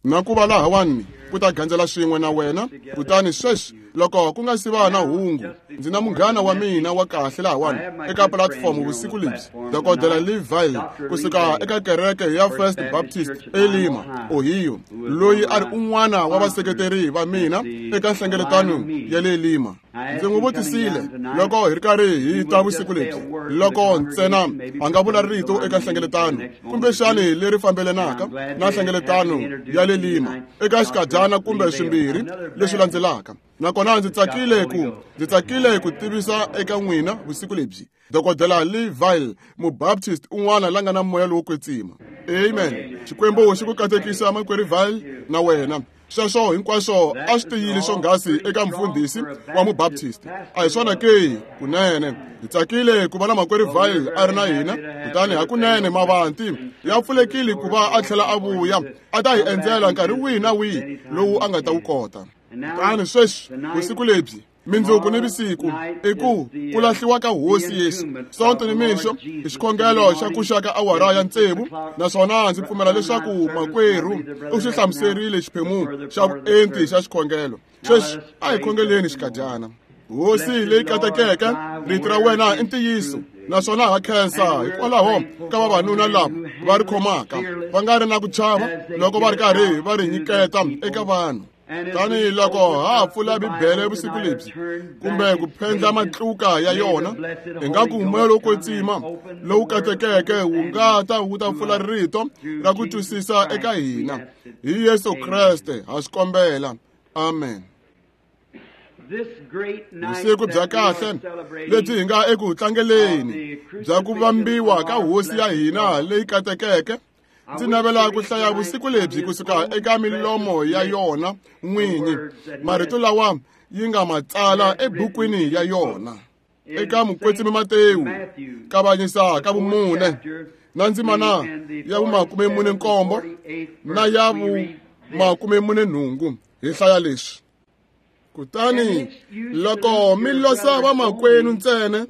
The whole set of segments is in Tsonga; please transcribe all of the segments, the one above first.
Na ku va lahawani ku ta gandzela swin'we na wena. Kutani sweswi loko ku nga si va na hungu, ndzi na munghana wa mina wa kahle lahawani eka pulatifomo vusiku lebyi, Dokodela Lee Vayle, kusuka eka kereke ya First Baptist eLima, Ohio, loyi a ri un'wana wa vaseketeri va mina eka nhlengeletano ya le Lima. Ndzi n'wi vutisile loko hi ri karhi hi ta vusiku lebyi, loko ntsena a nga vula rito eka nhlengeletano kumbexani leri fambelanaka na nhlengeletano ya le Lima eka xikadyana kumbe swimbirhi leswi landzelaka. Nakona ndzi tsakile ku ndzi tsakile ku tivisa eka n'wina vusiku lebyi Dokodela Lee Vayle, Mubaptist un'wana la nga na moya lowo kwetsima. Amen. Xikwembu xi ku katekisa makwerhu Vayle na wena. Sweswo hinkwaswo a swi tiyile swonghasi eka mfundhisi wa Mubaptist. A hi swona ke? Kunene. Hi tsakile ku va na makwerhu Vayle a ri na hina, kutani hakunene mavanti ya pfulekile ku va a tlhela a vuya a ta hi endzela nkarhi wihi na wihi lowu a nga ta wu kota. Kutani sweswi vusiku lebyi mindzuku ni vusiku i ku ku lahliwa ka Hosi Yesu. Sonto ni mixo i xikhongelo xa ku xa ka awara ya tsevu, naswona ndzi pfumela leswaku makwerhu u xi hlamuserile xiphemu xa vuenti xa xikhongelo. Sweswi a hi khongeleni xikadyana. Hosi leyi katekeke, rito ra wena i ntiyiso, naswona ha khensa hikwalaho ka vavanuna lava va ri khomaka va nga ri na ku chava loko va ri karhi va ri nyiketa eka vanhu. Tanihi loko ha ha pfula Bibele vusiku lebyi kumbe ku phendla matluka ya yona, ingaku moya lowo kwetsima lowu katekeke wu nga ta wu ta pfula rito ra ku twisisa eka hina. Hi Yesu Kreste ha swi kombela. Amen. Vusiku bya kahle lebyi hi nga eku tlangeleni bya ku vambiwa ka Hosi ya hina leyi katekeke. Ndzi navela ku hlaya vusiku lebyi kusuka eka milomo ya yona n'winyi, marito lawa yi nga ma tsala ebukwini ya yona. Eka Mukwetsimi Matewu, kavanyisa ka vumune, na ndzimana ya vumakume mune nkombo na ya vumakume mune nhungu, hi hlaya leswi. Kutani loko mi losa vamakwenu ntsena,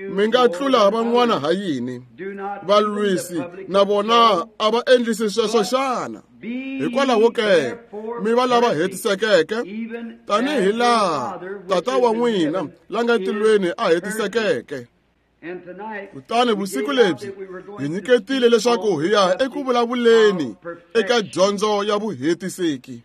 mi nga tlula van'wana ha yini? Valwisi na vona a va endlisi sweswo xana? Hikwalaho ke mi va lava hetisekeke, tanihi laha Tata wa n'wina la nga tilweni a hetisekeke. Kutani vusiku lebyi hi nyiketile leswaku hi ya eku vulavuleni eka dyondzo ya vuhetiseki.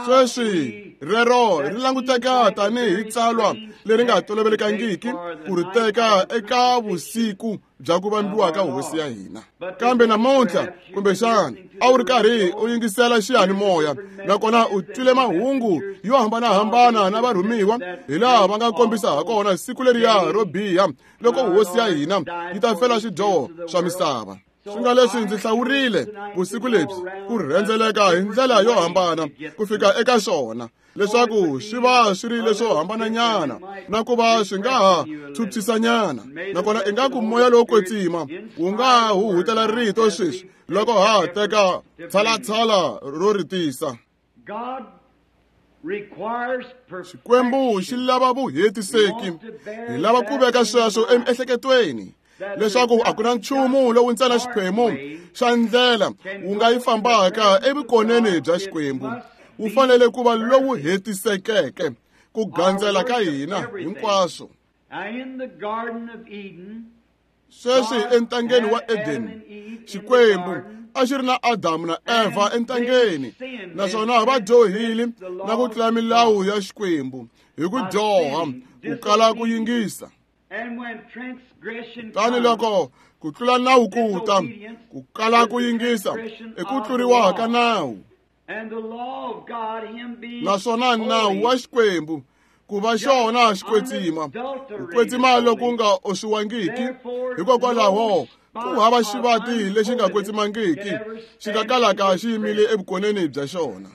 Sweswi rero ri languteka tanihi tsalwa leri nga tolovelekangiki ku ri teka eka vusiku bya ku vambiwa ka Hosi ya hina. Kambe namuntlha, kumbexana a wu ri karhi u yingisela xiyanimoya, nakona u twile mahungu yo hambanahambana na varhumiwa hi laha va nga kombisa ha kona siku leriya ro biha loko Hosi ya hina yi ta fela swidyoho swa misava. Swi nga leswi ndzi hlawurile vusiku lebyi ku rhendzeleka hi ndlela yo hambana ku fika eka xona, leswaku swi va swi ri leswo hambananyana na ku va swi nga ha phyuphyisanyana. Nakona ingaku moya lowo kwetsima wu nga huhutela rito sweswi loko ha teka tshalatshala ro ri tisa. Xikwembu xi lava vuhetiseki. Hi lava ku veka sweswo emiehleketweni, leswaku a ku na nchumu lowu ntsena xiphemu xa ndlela wu nga yi fambaka evukoneni bya Xikwembu. Wu fanele ku va lowu hetisekeke ku gandzela ka hina hinkwaswo. Sweswi entangeni wa Edeni, Xikwembu a xi ri na Adamu na Eva entangeni, naswona va dyohile na ku tlula milawu ya Xikwembu hi ku dyoha ku kala ku yingisa. Kutani loko ku tlula nawu ku ta, ku kala ku yingisa i ku tluriwa ka nawu. Naswona nawu wa Xikwembu ku va xona xikwetsima, ku kwetsima loku nga oxiwangiki, hikokwalaho ku hava xivati lexi nga kwetsimangiki xi nga kalaka xi yimile evukoneni bya xona.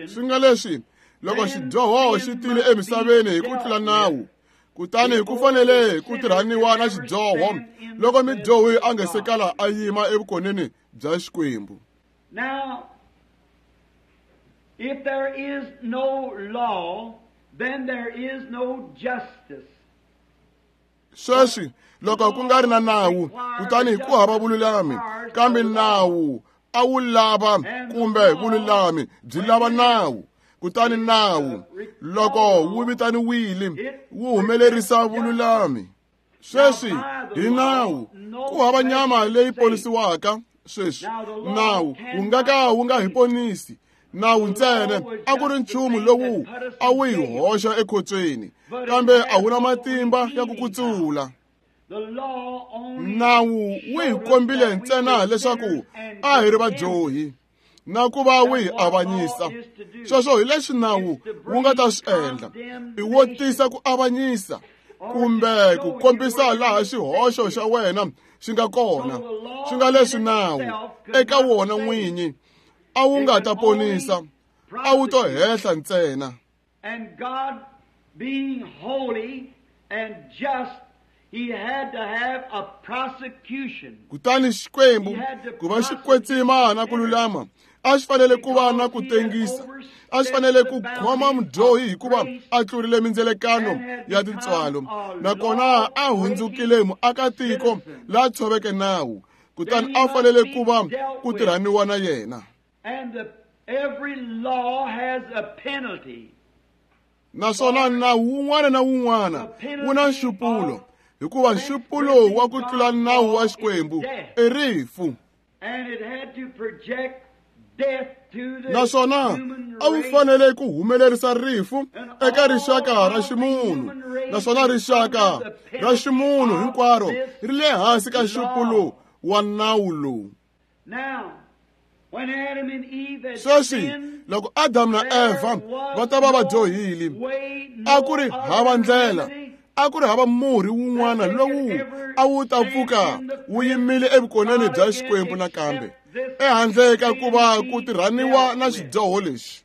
Swi nga leswi loko xidyoho xi tile emisaveni hi ku tlula nawu, kutani ku fanele ku tirhaniwa na xidyoho loko midyohi a nga se kala a yima evukoneni bya Xikwembu. Now, if there is no law, then there is no justice. Sweswi loko ku nga ri na nawu, kutani ku hava vululami. Kambe nawu a wu lava kumbe vululami byi lava nawu. Kutani nawu loko wu vitaniwile wu humelerisa vululami. Sweswi hi nawu ku hava nyama leyi ponisiwaka. Sweswi nawu wu nga ka wu nga hi ponisi. Nawu ntsena a ku ri nchumu lowu a wu hi hoxa ekhotsweni, kambe a wu na matimba ya ku kutsula. Nawu wu hi kombile ntsena leswaku a hi ri vadyohi na ku va wu hi avanyisa. Sweswo hi leswi nawu wu nga ta swi endla, i wo tisa ku avanyisa kumbe ku kombisa laha xihoxo xa wena xi nga kona. Swi nga leswi nawu eka wona n'winyi a wu nga ta ponisa, a wu to hehla ntsena. And God being holy and just, he had to have a prosecution. Kutani Xikwembu ku va xi kwetsima na ku lulama, a xi fanele ku va na ku tengisa, a xi fanele ku khoma mudyohi hikuva a tlurile mindzelekano ya tintswalo, nakona a hundzukile muakatiko la tshoveke nawu. Kutani a fanele ku va ku tirhaniwa na yena. And every law has a penalty. Naswona nawu wun'wana na wun'wana wu na nxupulo, hikuva nxupulo wa ku tlula nawu wa Xikwembu i rifu. And it had to project death to the Naswona human a wu race. fanele ku humelerisa rifu eka rixaka ra ximunhu. Naswona rixaka ra ximunhu hinkwaro ri le hansi ka nxupulo wa nawu lowu. Now, when Adam and Eve had Sweswi sinned, loko Adamu na Eva va ta va va dyohile, a ku ri hava ndlela, a ku ri hava murhi wun'wana lowu a wu ta pfuka wu yimile evukoneni bya Xikwembu nakambe, ehandle ka ku va ku tirhaniwa na xidyoho lexi.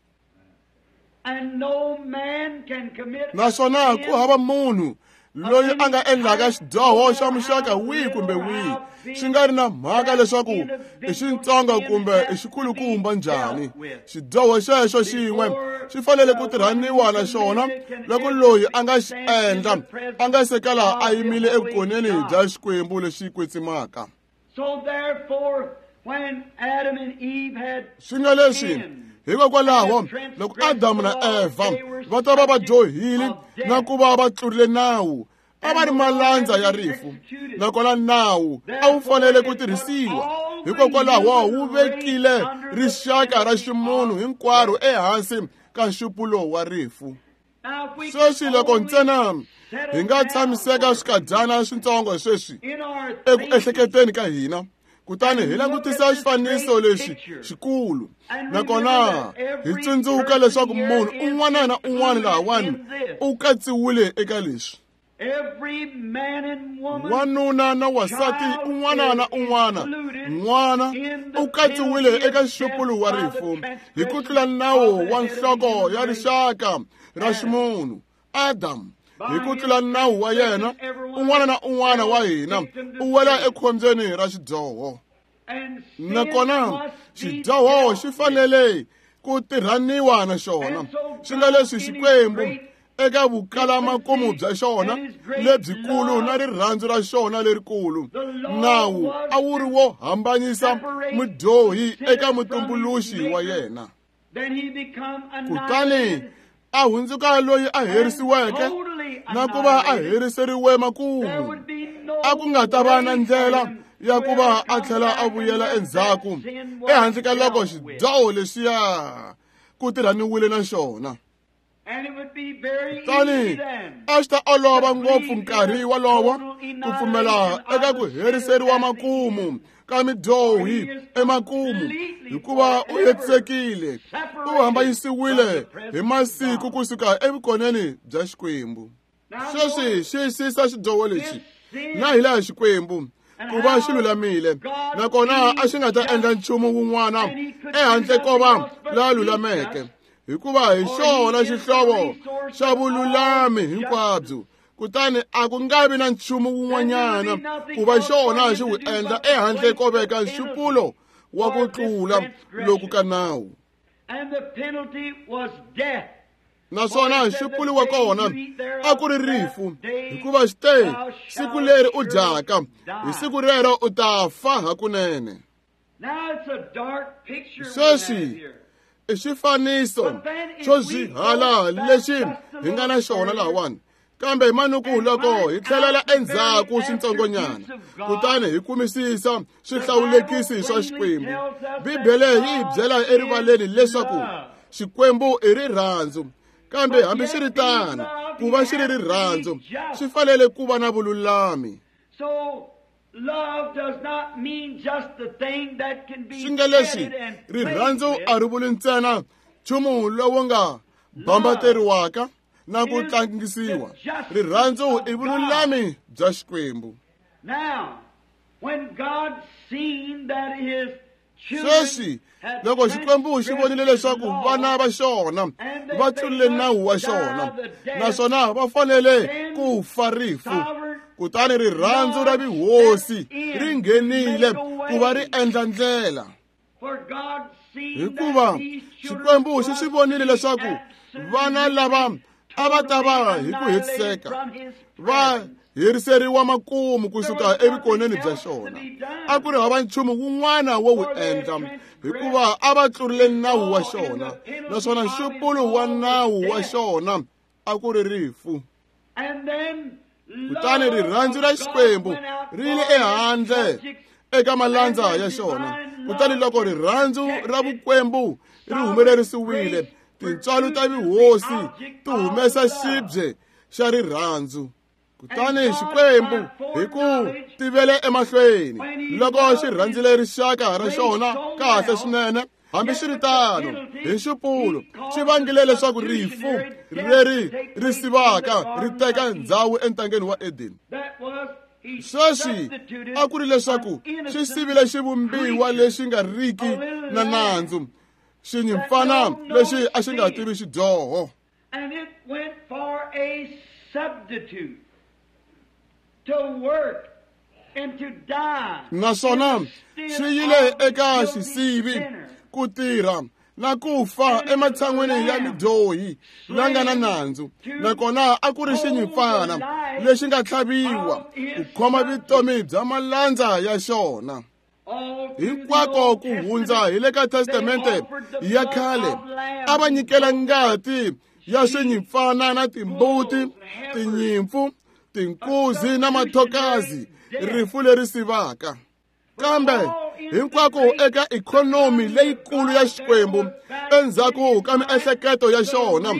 And no man can commit a Naswona sin ku hava munhu loyi a nga endlaka xidyoho xa muxaka wihi kumbe wihi, xi nga ri na mhaka leswaku i xitsongo kumbe i xikulukumba njhani. Xidyoho xexo xin'we xi fanele ku tirhaniwa na xona loko loyi a nga xi endla a nga se kala a yimile evukoneni bya Xikwembu lexi kwetsimaka. So therefore, when Adam and Eve had Swi nga leswi, hikokwalaho loko Adamu na Eva va ta va va dyohile na ku va va tlurile nawu, a va ri malandza ya rifu, nakona nawu a wu fanele ku tirhisiwa. Hikokwalaho wu vekile rixaka ra ximunhu hinkwaro ehansi ka nxupulo wa rifu. Now, if we Sweswi loko only ntsena settle hi nga down tshamiseka swikadyana switsongo sweswi in our eku thinking ehleketeni ka hina, kutani hi langutisa xifaniso lexi xikulu, nakona hi tsundzuka leswaku munhu un'wana na un'wana lahawani u katsiwile eka leswi. Every man and woman, Wanuna na wasati un'wana na un'wana, n'wana u katsiwile eka nxupulo wa rifu hi ku tlula nawu wa nhloko ya rixaka ra ximunhu Adamu. Hi ku tlula nawu wa yena, un'wana na un'wana wa hina u wela ekhombyeni ra xidyoho. and sin Nakona must be xidyoho dealt xi with. fanele ku tirhaniwa na xona. Swi nga leswi Xikwembu eka vukalamakumu bya xona lebyikulu na rirhandzu ra xona lerikulu, nawu a wu ri wo hambanyisa mudyohi eka mutumbuluxi wa yena. Then he become Kutani annihilated, a hundzuka loyi a herisiweke na ku va a heriseriwe There makumu. would be no A ku nga ta va na way ndlela for him ya to ku va ever a come tlhela a back vuyela unless endzhaku that sin was ehandle ka loko dealt with. xidyoho lexiya ku tirhaniwile na xona. And it would be very easy Kutani then a swi ta olova ngopfu nkarhi wolowo ku pfumela eka ku heriseriwa makumu ka midyohi emakumu, hikuva u hetisekile, u hambanyisiwile hi masiku kusuka evukoneni bya Xikwembu. Sweswi xiyisisa xidyoho lexi na hi laha Xikwembu ku va xi lulamile, nakona a xi nga ta endla nchumu wun'wana ehandle ko va la lulameke, hikuva hi xona xihlovo xa vululami hinkwabyo. Kutani a ku nga vi na nchumu wun'wanyana ku va xona xi wu endla ehandle ko veka nxupulo wa ku tlula loku ka nawu. And the penalty was death. Naswona nxupulo wa kona a ku ri rifu, hikuva xi te, siku leri u dyaka, hi siku rero u ta fa hakunene. Sweswi i xifaniso xo zwihala lexi hi nga na xona lahawani. Kambe manuku loko hi tlhelela endzhaku switsongonyana kutani hi kumisisa swihlawulekisi swa Xikwembu, Bibele yi hi byela erivaleni leswaku Xikwembu i rirhandzu. Kambe hambiswiritano, ku va xi ri rirhandzu swi fanele ku va na vululami. Swi nga leswi rirhandzu a ri vuli ntsena nchumu lowu nga bambateriwaka na ku tlangisiwa. Rirhandzu i vululami bya Xikwembu. Sweswi loko Xikwembu xi vonile leswaku vana va xona va tlulile nawu wa xona naswona va fanele ku fa rifu, kutani rirhandzu ra vuhosi ri nghenile ku va ri endla ndlela. Hikuva Xikwembu xi swi vonile leswaku vana lava a va ta va hi ku hetiseka va heriseriwa makumu kusuka evukoneni bya xona. A ku ri hava nchumu wun'wana wo wu endla hikuva a va tlurile nawu wa xona, naswona nxupulo wa nawu wa xona a ku ri rifu. Kutani rirhandzu ra Xikwembu ri yile ehandle eka malandza ya xona. Kutani loko rirhandzu ra vukwembu ri humelerisiwile, tintswalo ta vuhosi ti humesa xibye xa rirhandzu. Kutani Xikwembu hi ku tivele emahlweni loko xi rhandzile rixaka ra xona kahle swinene, hambiswiritano hi nxupulo xi vangile leswaku rifu leri ri sivaka ri teka ndzhawu entangeni wa Edeni. Sweswi a ku ri leswaku xi sivile xivumbiwa lexi nga riki na nandzu, xinyimpfana lexi a xi nga tivi xidyoho. And it went for a substitute to work and to die. Naswona xi yile eka xisivi ku tirha na ku fa ematshan'weni ya mudyohi la nga na nandzu, nakona a ku ri xinyimpfana lexi nga tlhaviwa ku khoma vutomi bya malandza ya xona. Hinkwako ku hundza hi le ka Testamente ya khale, a va nyikela ngati ya swinyimpfana na timbuti, tinyimpfu, tinkuzi na mathokazi, rifu leri sivaka. Kambe hinkwako eka ikhonomi leyikulu ya Xikwembu, endzhaku ka miehleketo ya xona,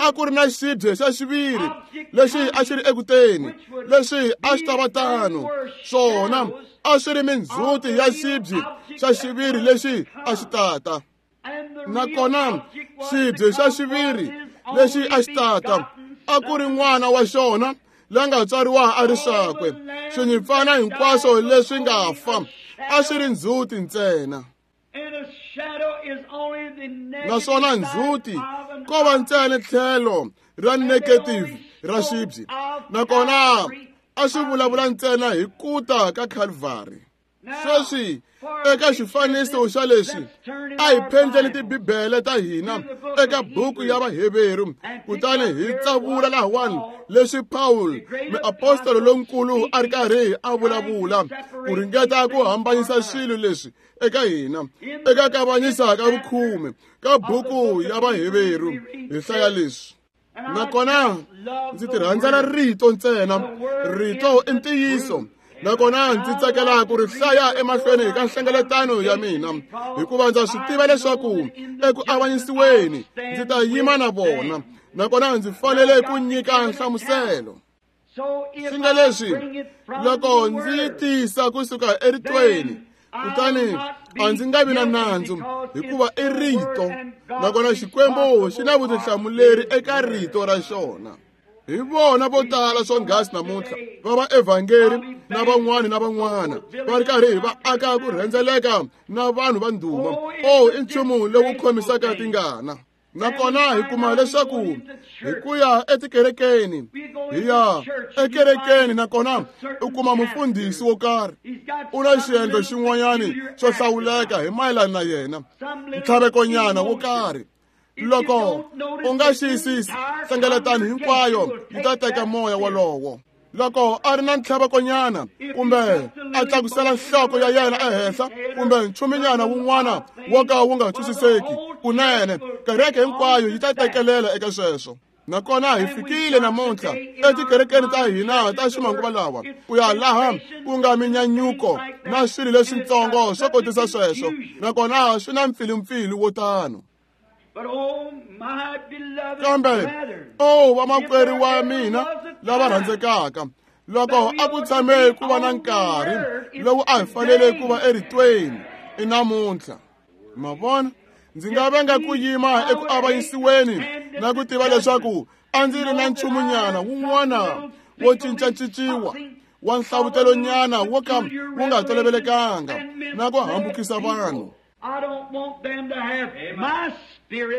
a ku ri na xibye xa xiviri lexi a xi ri ekuteni, lexi a xi ta va tano. Swona a swi ri mindzhuti ya xibye xa xiviri lexi a xi tata. Nakona xibye xa xiviri lexi a xi tata a ku ri n'wana wa xona la nga tswariwa a ri swakwe. Swinyimpfana hinkwaswo leswi nga fa a swi ri ndzhuti ntsena. Naswona ndzhuti ko va ntsena tlhelo ra negative ra xibye, nakona a swi vulavula ntsena hi ku ta ka Calvary. Sweswi eka xifaniso xa leswi, a hi phendleni tibibele ta hina eka buku ya Vaheveru, kutani hi tsavula lahawani leswi Paul muapostolo lonkulu a ri karhi a vulavula ku ringeta ku hambanyisa swilo leswi eka hina eka kavanyisa ka vukhume ka buku ya Vaheveru. Hi hlaya leswi. Nakona ndzi ti rhandzela rito ntsena, rito i ntiyiso. Nakona ndzi tsakela ku ri hlaya emahlweni ka nhlengeletano ya mina, hikuva ndza swi tiva leswaku eku avanyisiweni ndzi ta yima na vona, nakona ndzi fanele ku nyika nhlamuselo. Swi nga leswi loko ndzi yi tisa kusuka eritweni, kutani a ndzi nga vi na nandzu, hikuva i rito, nakona Xikwembu xi na vutihlamuleri eka rito ra xona. Hi vona vo tala swonghasi namuntlha va vaevhangeri na van'wana na van'wana va ri karhi va aka ku rhendzeleka na vanhu va ndhuma. O i nchumu lowu khomisaka tingana. Nakona hi kuma leswaku hi ku ya etikerekeni, hi ya ekerekeni, nakona u kuma mufundhisi wo karhi u na xiendlo xin'wanyani xo hlawuleka hi mayelana na yena, ntlhavekonyana wo karhi. Loko u nga xiyisisi, nhlengeletano hinkwayo yi ta teka moya wolowo. Loko a ri na ntlhavekonyana kumbe a tlakusela nhloko ya yena ehenhla kumbe nchuminyana wun'wana wo ka wu nga twisiseki kunene, kereke hinkwayo yi ta tekelela eka sweswo. Nakona hi fikile namuntlha etikerekeni ta hina ta ximanguva lawa ku ya laha ku nga minyanyuko na swilo leswitsongo swo kotisa sweswo, nakona swi na mpfilumpfilu wo tano. Kambe o vamakwerhu wa mina lava rhandzekaka, loko a ku tshame ku va na nkarhi lowu a hi fanele ku va eritweni i namuntlha. Ma vona, ndzi nga venga ku yima eku avanyisiweni na ku tiva leswaku a ndzi ri na nchumunyana wun'wana wo cincacinciwa wa nhlavutelo-nyana wo ka wu nga tolovelekanga na ku hambukisa vanhu.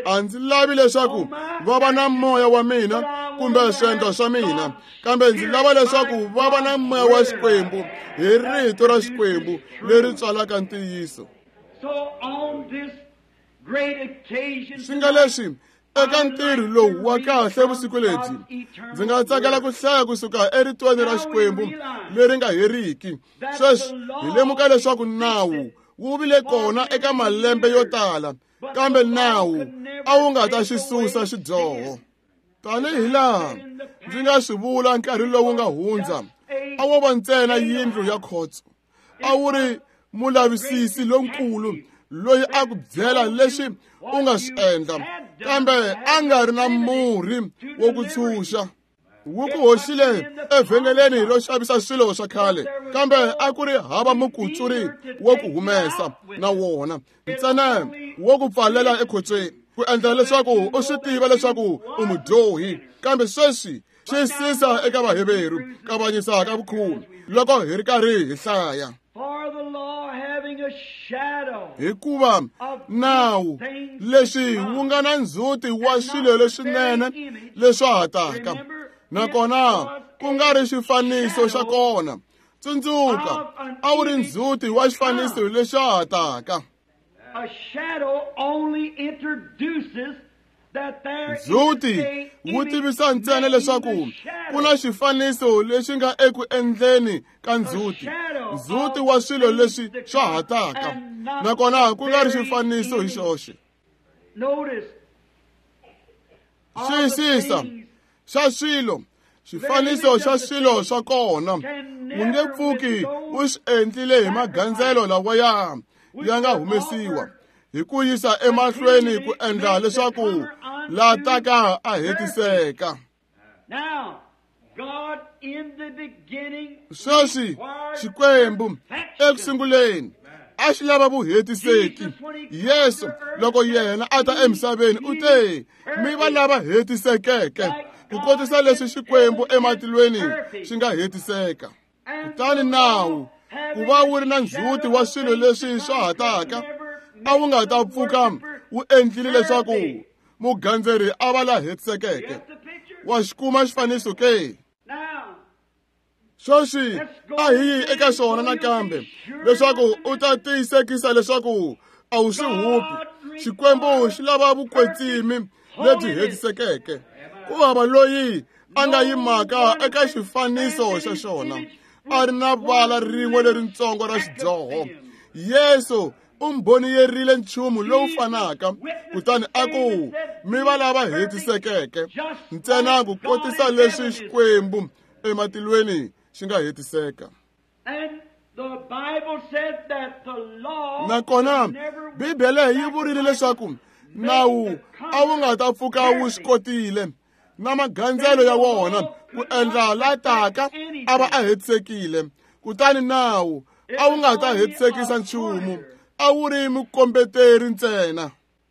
A ndzi lavi leswaku va va na moya wa mina kumbe swiendlo swa mina, kambe ndzi lava leswaku va va na moya wa Xikwembu hi rito ra Xikwembu leri tswalaka ntiyiso. Swi nga leswi eka ntirho lowu wa kahle vusiku lebyi, ndzi nga tsakela ku hlaya kusuka eritweni ra Xikwembu leri nga heriki. Sweswi hi lemuka leswaku nawu wu vile kona eka malembe yo tala, kambe nawu a wu nga ta xi susa xidyoho. Tanihi laha ndzi nga swi vula nkarhi lowu nga hundza, a wo va ntsena yindlu ya khotso. A wu ri mulavisisi lonkulu loyi a ku byela leswi u nga swi endla, kambe a nga ri na murhi wo ku tshunxa. Wu ku hoxile evhengeleni ro xavisa swilo swa khale, kambe a ku ri hava mukutsuri wo ku humesa na wona, ntsena wo ku pfalela ekhotsweni ku endla leswaku u swi tiva leswaku u mudyohi. Kambe sweswi xiyisisa eka Vaheveru kavanyisa ka vukhume loko hi ri karhi hi hlaya. Hikuva nawu leswi wu nga na ndzhuti wa swilo leswinene leswa ha taka, nakona ku nga ri xifaniso xa kona. Tsundzuka, a wu ri ndzhuti wa xifaniso lexa ha taka. Ndzhuti wu tivisa ntsena leswaku ku na xifaniso lexi nga eku endleni ka ndzhuti, ndzhuti wa swilo leswi swa ha taka, nakona ku nga ri xifaniso hi xoxe. Xiyisisa xa swilo, xifaniso xa swilo swa kona, wu nge pfuki u swi endlile hi magandzelo lawa ya nga humesiwa hi ku yisa emahlweni ku endla leswaku la taka a hetiseka. Sweswi Xikwembu eku sunguleni a xi lava vuhetiseki. Yesu loko yena a ta emisaveni u te, mi va lava hetisekeke ku kotisa leswi Xikwembu ematilweni xi nga hetiseka. Kutani nawu ku va wu ri na ndzhuti wa swilo leswi swa ha taka, a wu nga ta pfuka wu endlile leswaku mugandzeri a va la hetisekeke. Wa xi kuma xifaniso ke? Sweswi a hi yi eka xona nakambe leswaku u ta tiyisekisa leswaku a wu swi hupi. Xikwembu xi lava vukwetsimi lebyi hetisekeke. Ku hava loyi a nga yimaka eka xifaniso xa xona a ri na vala rin'we leritsongo ra xidyoho. Yesu u mbhoniyerile nchumu lowu fanaka, kutani a ku, mi va lava hetisekeke ntsena ku kotisa leswi Xikwembu ematilweni xi nga hetiseka. Nakona Bibele yi vurile leswaku nawu a wu nga ta pfuka wu swi kotile na magandzelo ya wona ku endla la taka a va a hetisekile. Kutani nawu a wu nga ta hetisekisa nchumu, a wu ri mukombeteri ntsena.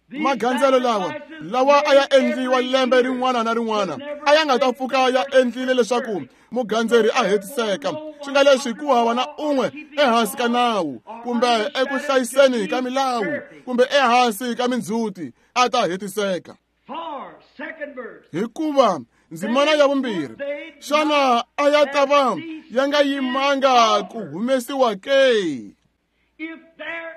Magandzelo lawa a ya endliwa lembe rin'wana na rin'wana a ya nga ta pfuka ya endlile leswaku mugandzeri a hetiseka. Swi nga leswi ku hava na un'we ehansi ka nawu kumbe eku hlayiseni ka milawu kumbe ehansi ka mindzhuti a ta hetiseka. Hikuva ndzimana ya vumbirhi, xana a ya ta va ya nga yimanga ku humesiwa ke?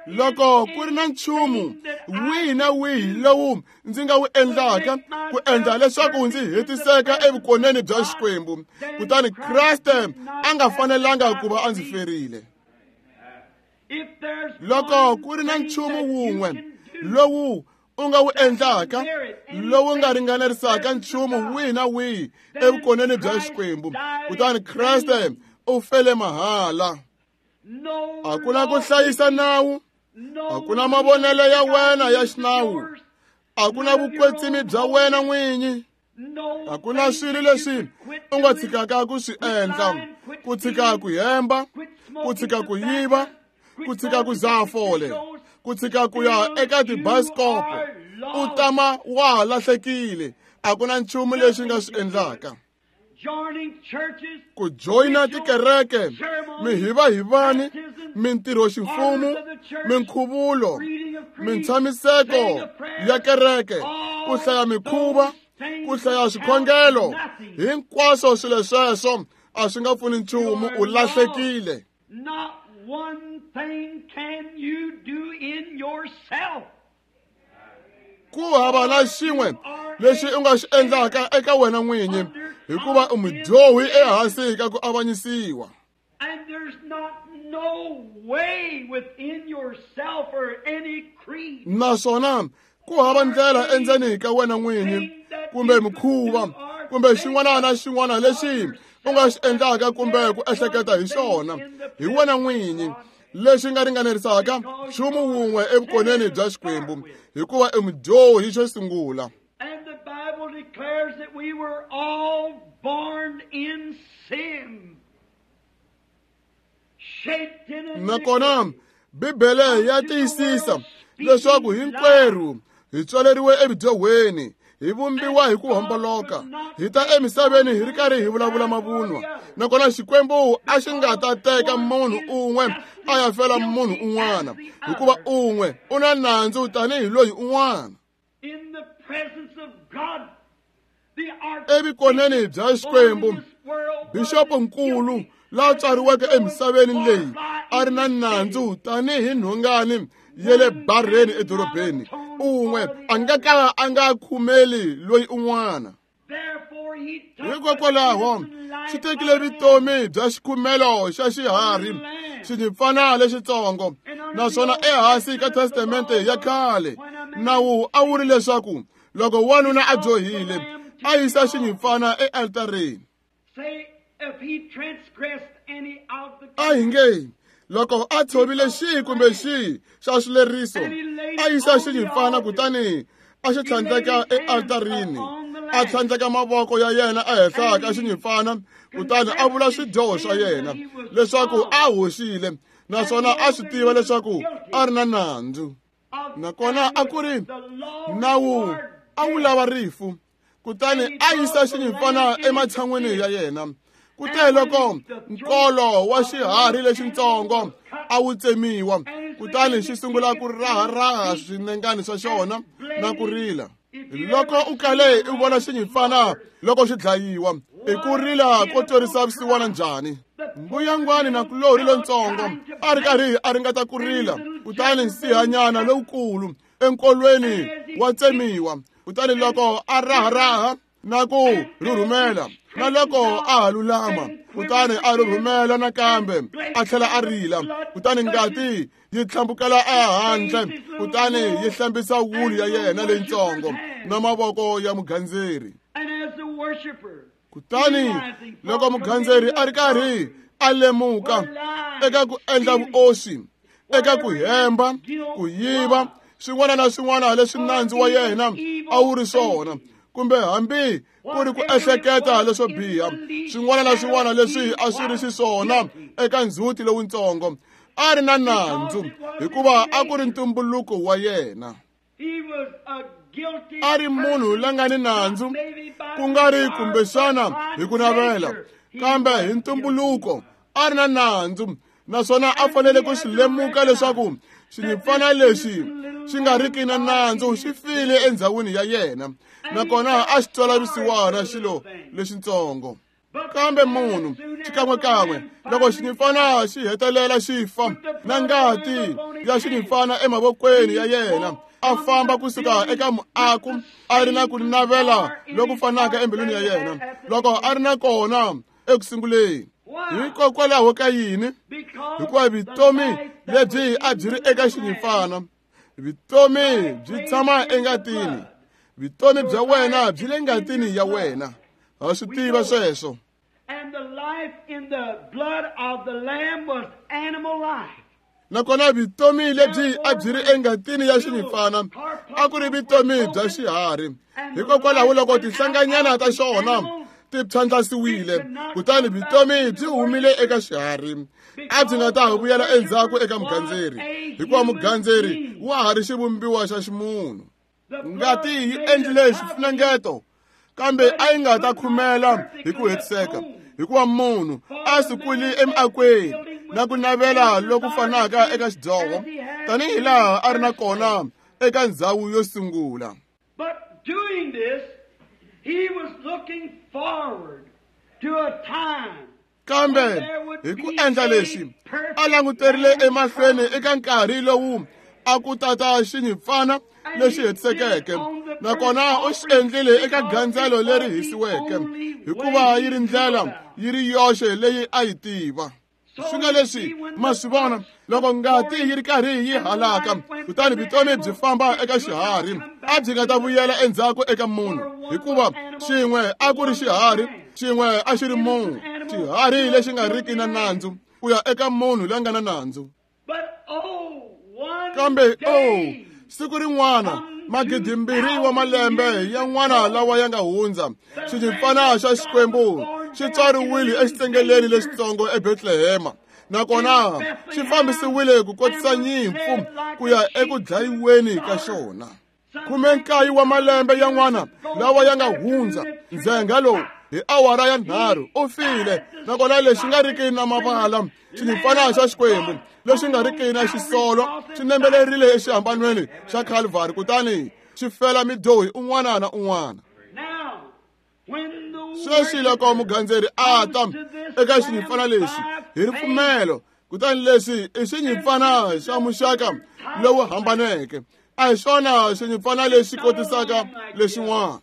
Loko ku ri na nchumu wihi na wihi lowu ndzi nga wu endlaka ku endla leswaku ndzi hetiseka evukoneni bya Xikwembu, kutani Kreste a nga fanelanga ku va a ndzi ferile. Loko ku ri na nchumu wun'we lowu u nga wu endlaka lowu nga ringanerisaka nchumu wihi na wihi evukoneni bya Xikwembu, kutani Kreste u fele mahala. A ku na ku hlayisa nawu, a ku na mavonelo ya wena ya xinawu, a ku na vukwetsimi bya wena n'winyi, a ku na swilo leswi u nga tshikaka ku swi endla, ku tshika ku hemba, ku tshika ku yiva, ku tshika ku dzaha fole, ku tshika ku ya eka tibayiskopo, u tama wa ha lahlekile. A ku na nchumu lexi nga swi endlaka. Ku joyina tikereke, mihivahivani, mintirho ximfumo, minkhuvulo, mintshamiseko ya kereke, ku hlaya mikhuva, ku hlaya swikhongelo, hinkwaswo swilo sweswo a swi nga pfuni nchumu, u lahlekile. Not one thing can you do in yourself. Ku hava na xin'we lexi u nga xi endlaka eka wena n'winyi, hikuva u mudyohi ehansi ka ku avanyisiwa. And there's not no way within yourself or any creed. Naswona ku hava ndlela endzeni ka wena n'winyi kumbe mikhuva kumbe xin'wana na xin'wana lexi u nga xi endlaka kumbe ku ehleketa hi xona hi wena n'winyi lexi nga ringanerisaka nchumu wun'we evukoneni bya Xikwembu, hikuva i mudyohi xo sungula. And the Bible declares that we were all born in sin, shaped in Nakona Bibele ya tiyisisa leswaku hinkwerhu hi tswaleriwe evudyohweni, hi vumbiwa hi ku homboloka, hi ta emisaveni hi ri karhi hi vulavula mavunwa. Nakona Xikwembu a xi nga ta teka munhu un'we a ya fela munhu un'wana, hikuva un'we u na nandzu tanihi loyi un'wana. In the presence of God, the Evukoneni bya Xikwembu, bixopo nkulu la tswariweke emisaveni leyi a ri na nandzu tanihi nhongani ya le bareni edorobeni, un'we a nga ka a nga khumeli loyi un'wana. Therefore he took Hikokwalaho xi tekile vutomi bya xikhumelo xa xiharhi xinyimpfana lexitsongo. Naswona ehansi ka Testamente ya khale, nawu a wu ri leswaku loko wanuna a dyohile a yisa xinyimpfana ealtareni. Say if he transgressed any of the A hi nge loko a tshovile xihi kumbe xihi xa swileriso, a yisa xinyimpfana kutani a xi tlhandleka ealtarini, a tlhandleka mavoko ya yena ehenhla ka xinyimpfana, kutani a vula swidyoho swa yena leswaku a hoxile, naswona a swi tiva leswaku a ri na nandzu. Nakona a ku ri nawu a wu lava rifu, kutani a yisa xinyimpfana ematshan'wini ya yena. Kute loko nkolo wa xiharhi lexitsongo a wu tsemiwa, kutani xi sungula ku raharaha swinengani swa xona na ku rila. Loko u kale u vona xinyimpfana loko xi dlayiwa, i ku rila ko twerisa vusiwana njhani? Mbuyangwani na kulorhi lontsongo a ri karhi a ringeta ku rila, kutani nsihanyana lowukulu enkolweni wa tsemiwa, kutani loko a raharaha na ku rhurhumela, na loko a ha lulama, kutani a rhurhumela nakambe a tlhela a rila, kutani ngati yi tlhambukela ehandle, kutani yi hlambisa wulu ya yena leyitsongo na mavoko ya mugandzeri. And as the worshiper, Kutani loko mugandzeri a ri karhi a lemuka eka ku endla vuoswi, eka ku hemba, ku yiva, swin'wana na swin'wana leswi nandzu wa yena a wu ri swona, kumbe hambi ku ri ku ehleketa leswo biha, swin'wana na swin'wana leswi a swi ri xiswona eka ndzhuti lowutsongo, a ri na nandzu hikuva a ku ri ntumbuluko wa yena. he was a guilty A ri munhu la nga ni nandzu, ku nga ri kumbexana hi ku navela, kambe hi ntumbuluko a ri na nandzu, naswona a fanele ku swi lemuka leswaku xinyimpfana lexi xi nga riki na nandzu xi file endhawini ya yena, nakona a xi twela vusiwana xilo lexitsongo. Kambe munhu xikan'wekan'we loko xinyimpfana xi hetelela xi fa na ngati ya xinyimpfana emavokweni ya yena, a famba kusuka eka muako a ri na ku navela loku fanaka embilwini ya yena loko a ri na kona ekusunguleni. Hikokwalaho ka yini? Hikuva vutomi lebyi a byi ri eka xinyimpfana, vutomi byi tshama engatini. Vutomi bya wena byi le ngatini ya wena. Ha swi tiva sweswo. Nakona vutomi lebyi a byi ri engatini ya xinyimpfana a ku ri vutomi bya xiharhi. Hikokwalaho loko tinhlanganyana ta xona ti phyandlasiwile, kutani vutomi byi humile eka xiharhi, a byi nga ta vuyela endzhaku eka mugandzeri, hikuva mugandzeri wa ha ri xivumbiwa xa ximunhu. Ngati yi endlile xifunengeto, kambe a yi nga ta khumela hi ku hetiseka, hikuva munhu a sukuli emiakweni na ku navela loku fanaka eka xidyoho tanihi laha a ri na kona eka ndzhawu yo sungula. But doing this, he was looking forward to a time. Kambe hi ku endla leswi, a languterile emahlweni eka nkarhi lowu a ku tata xinyimpfana lexi hetisekeke, nakona u xi endlile eka gandzelo leri hisiweke, hikuva yi ri ndlela yi ri yoxe leyi a yi tiva. Swi nga leswi ma swi vona loko ngati yi ri karhi yi halaka, kutani vutomi byi famba eka xiharhi, a byi nga ta vuyela endzhaku eka munhu, hikuva xin'we a ku ri xiharhi, xin'we a xi ri munhu, xiharhi lexi nga riki na nandzu ku ya eka munhu la nga na nandzu. Kambe oh, siku rin'wana 2,000 wa malembe yan'wana lawa ya nga hundza, xinyimpfana xa Xikwembu xi tswariwile exitsengeleni lexitsongo eBethlehema, nakona xi fambisiwile ku kotisa nyimpfu ku ya eku dlayiweni ka xona. 19 wa malembe yan'wana lawa ya nga hundza, ndzhenga lowu hi awara ya 3 u file, nakona lexi nga riki na mavala xinyimpfana xa Xikwembu lexi nga riki na xisolo xi nembelerile exihambanweni xa Calvary, kutani xi fela midyohi un'wana na un'wana. Sweswi loko mugandzeri a ta eka xinyimpfana lexi hi ripfumelo, kutani leswi i xinyimpfana xa muxaka lowu hambaneke, a hi xona xinyimpfana lexi kotisaka lexin'wana.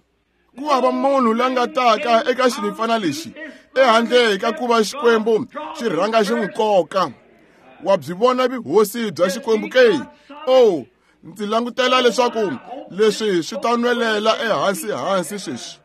Ku hava munhu la nga taka eka xinyimpfana lexi ehandle ka ku va Xikwembu xi rhanga xi n'wi koka. Wa byi vona vuhosi bya Xikwembu ke? Oh, ndzi langutela leswaku leswi swi ta nwelela ehansi hansi sweswi.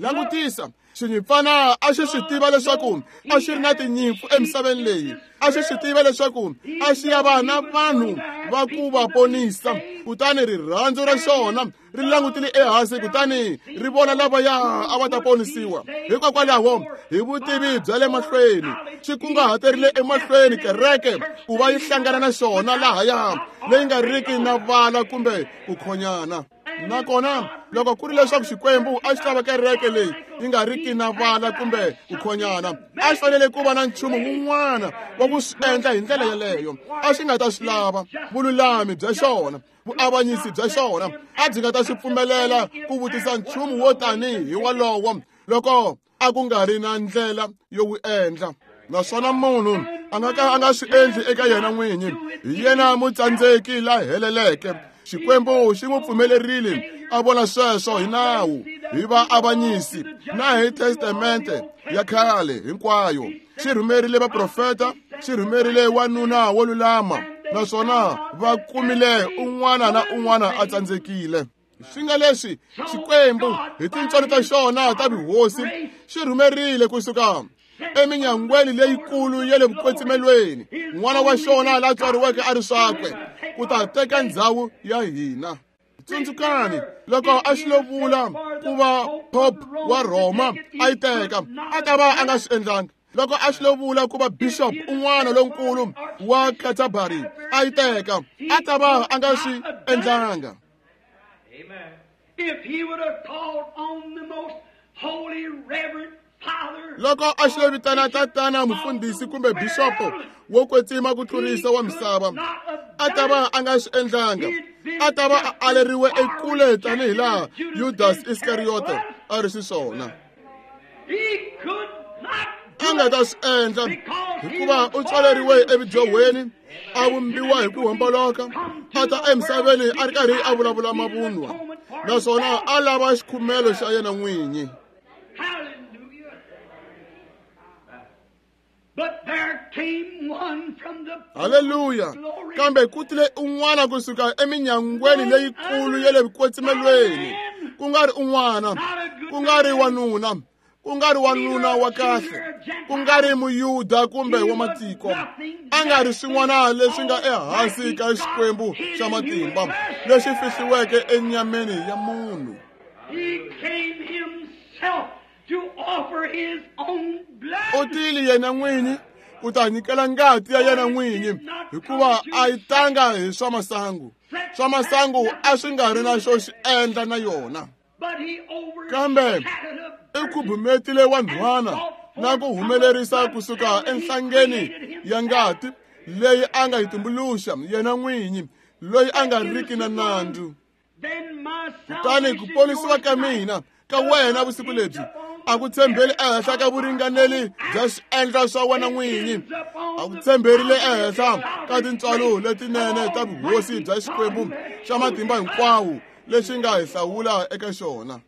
Langutisa, xinyimpfana a xi swi tiva leswaku a xi ri na tinyimpfu emisaveni leyi, a xi swi tiva leswaku a xi ya va na vanhu va ku va ponisa, kutani rirhandzu ra xona ri langutile ehansi kutani ri vona lavaya a va ta ponisiwa. Hikokwalaho hi vutivi bya le mahlweni xi kunguhaterile emahlweni kereke ku va yi hlangana na xona lahaya leyi nga riki na vala kumbe ku khonyana. Nakona loko ku ri leswaku Xikwembu a xi lava kereke leyi yi nga riki na vala kumbe ku khonyana, a xi fanele ku va na nchumu wun'wana wa ku swi endla hi ndlela yeleyo. A xi nga ta swi lava vululami bya xona, vuavanyisi bya xona a byi nga ta swi pfumelela ku vutisa nchumu wo tanihi walowo loko a ku nga ri na ndlela yo wu endla. Naswona munhu a nga ka a nga swi endli eka yena n'winyi, hi yena mutsandzeki la heleleke. Xikwembu xi n'wi pfumelerile a vona sweswo hi nawu, hi vaavanyisi na hi testamente ya khale hinkwayo. Xi rhumerile vaprofeta, xi rhumerile wanuna wo lulama, naswona va kumile un'wana na un'wana a tsandzekile. Swi nga leswi Xikwembu hi tintswalo ta xona ta vuhosi xi rhumerile kusuka eminyangweni leyikulu ya le vukwetsimelweni n'wana wa xona la tswariweke a ri swakwe ku ta teka ndzhawu ya hina. Tsundzukani loko a xi lo vula ku va Pope wa Rhoma a yi teka, a ta va a nga swi endlanga. Loko a xi lo vula ku va bishop un'wana lonkulu wa Canterbury a yi teka, a ta va a nga swi endlanga. If he would have called on the most holy reverend father, loko a xi lo vitana tatana mufundhisi kumbe bishopo wo kwetsima ku tlurisa wa misava, a ta va a nga swi endlanga. A ta va a aleriwe ekule tanihi laha Judas Iskariote a ri xiswona. A nga ta swi endla hikuva u tswaleriwe evudyohweni, a vumbiwa hi ku homboloka, a ta emisaveni a ri karhi a vulavula mavunwa, naswona a lava xikhumelo xa yena n'winyi. Haleluya! Kambe ku tile un'wana kusuka eminyangweni leyikulu ya le vukwetsimelweni, ku nga ri un'wana, ku nga ri wanuna, ku nga ri wanuna wa kahle, ku nga ri muyuda kumbe wa matiko, a nga ri swin'wana leswi nga ehansi ka Xikwembu xa matimba lexi fihliweke enyameni ya munhu. U tile yena n'winyi ku ta nyikela ngati ya yena n'winyi, hikuva a yi tanga hi swa masangu. Swa masangu a swi nga ri na xo xi endla na yona. Kambe i khubumetile wanhwana na ku humelerisa kusuka enhlangeni ya ngati leyi a nga yi tumbuluxa yena n'winyi, loyi a nga riki na nandzu. Kutani ku ponisiwa ka mina ka wena vusiku lebyi a ku tshembeli ehenhla ka vuringaneli bya swiendlo swa wena n'winyi, a ku tshemberile ehenhla ka tintswalo letinene ta vuhosi bya Xikwembu xa matimba hinkwawo lexi nga hi hlawula eka xona.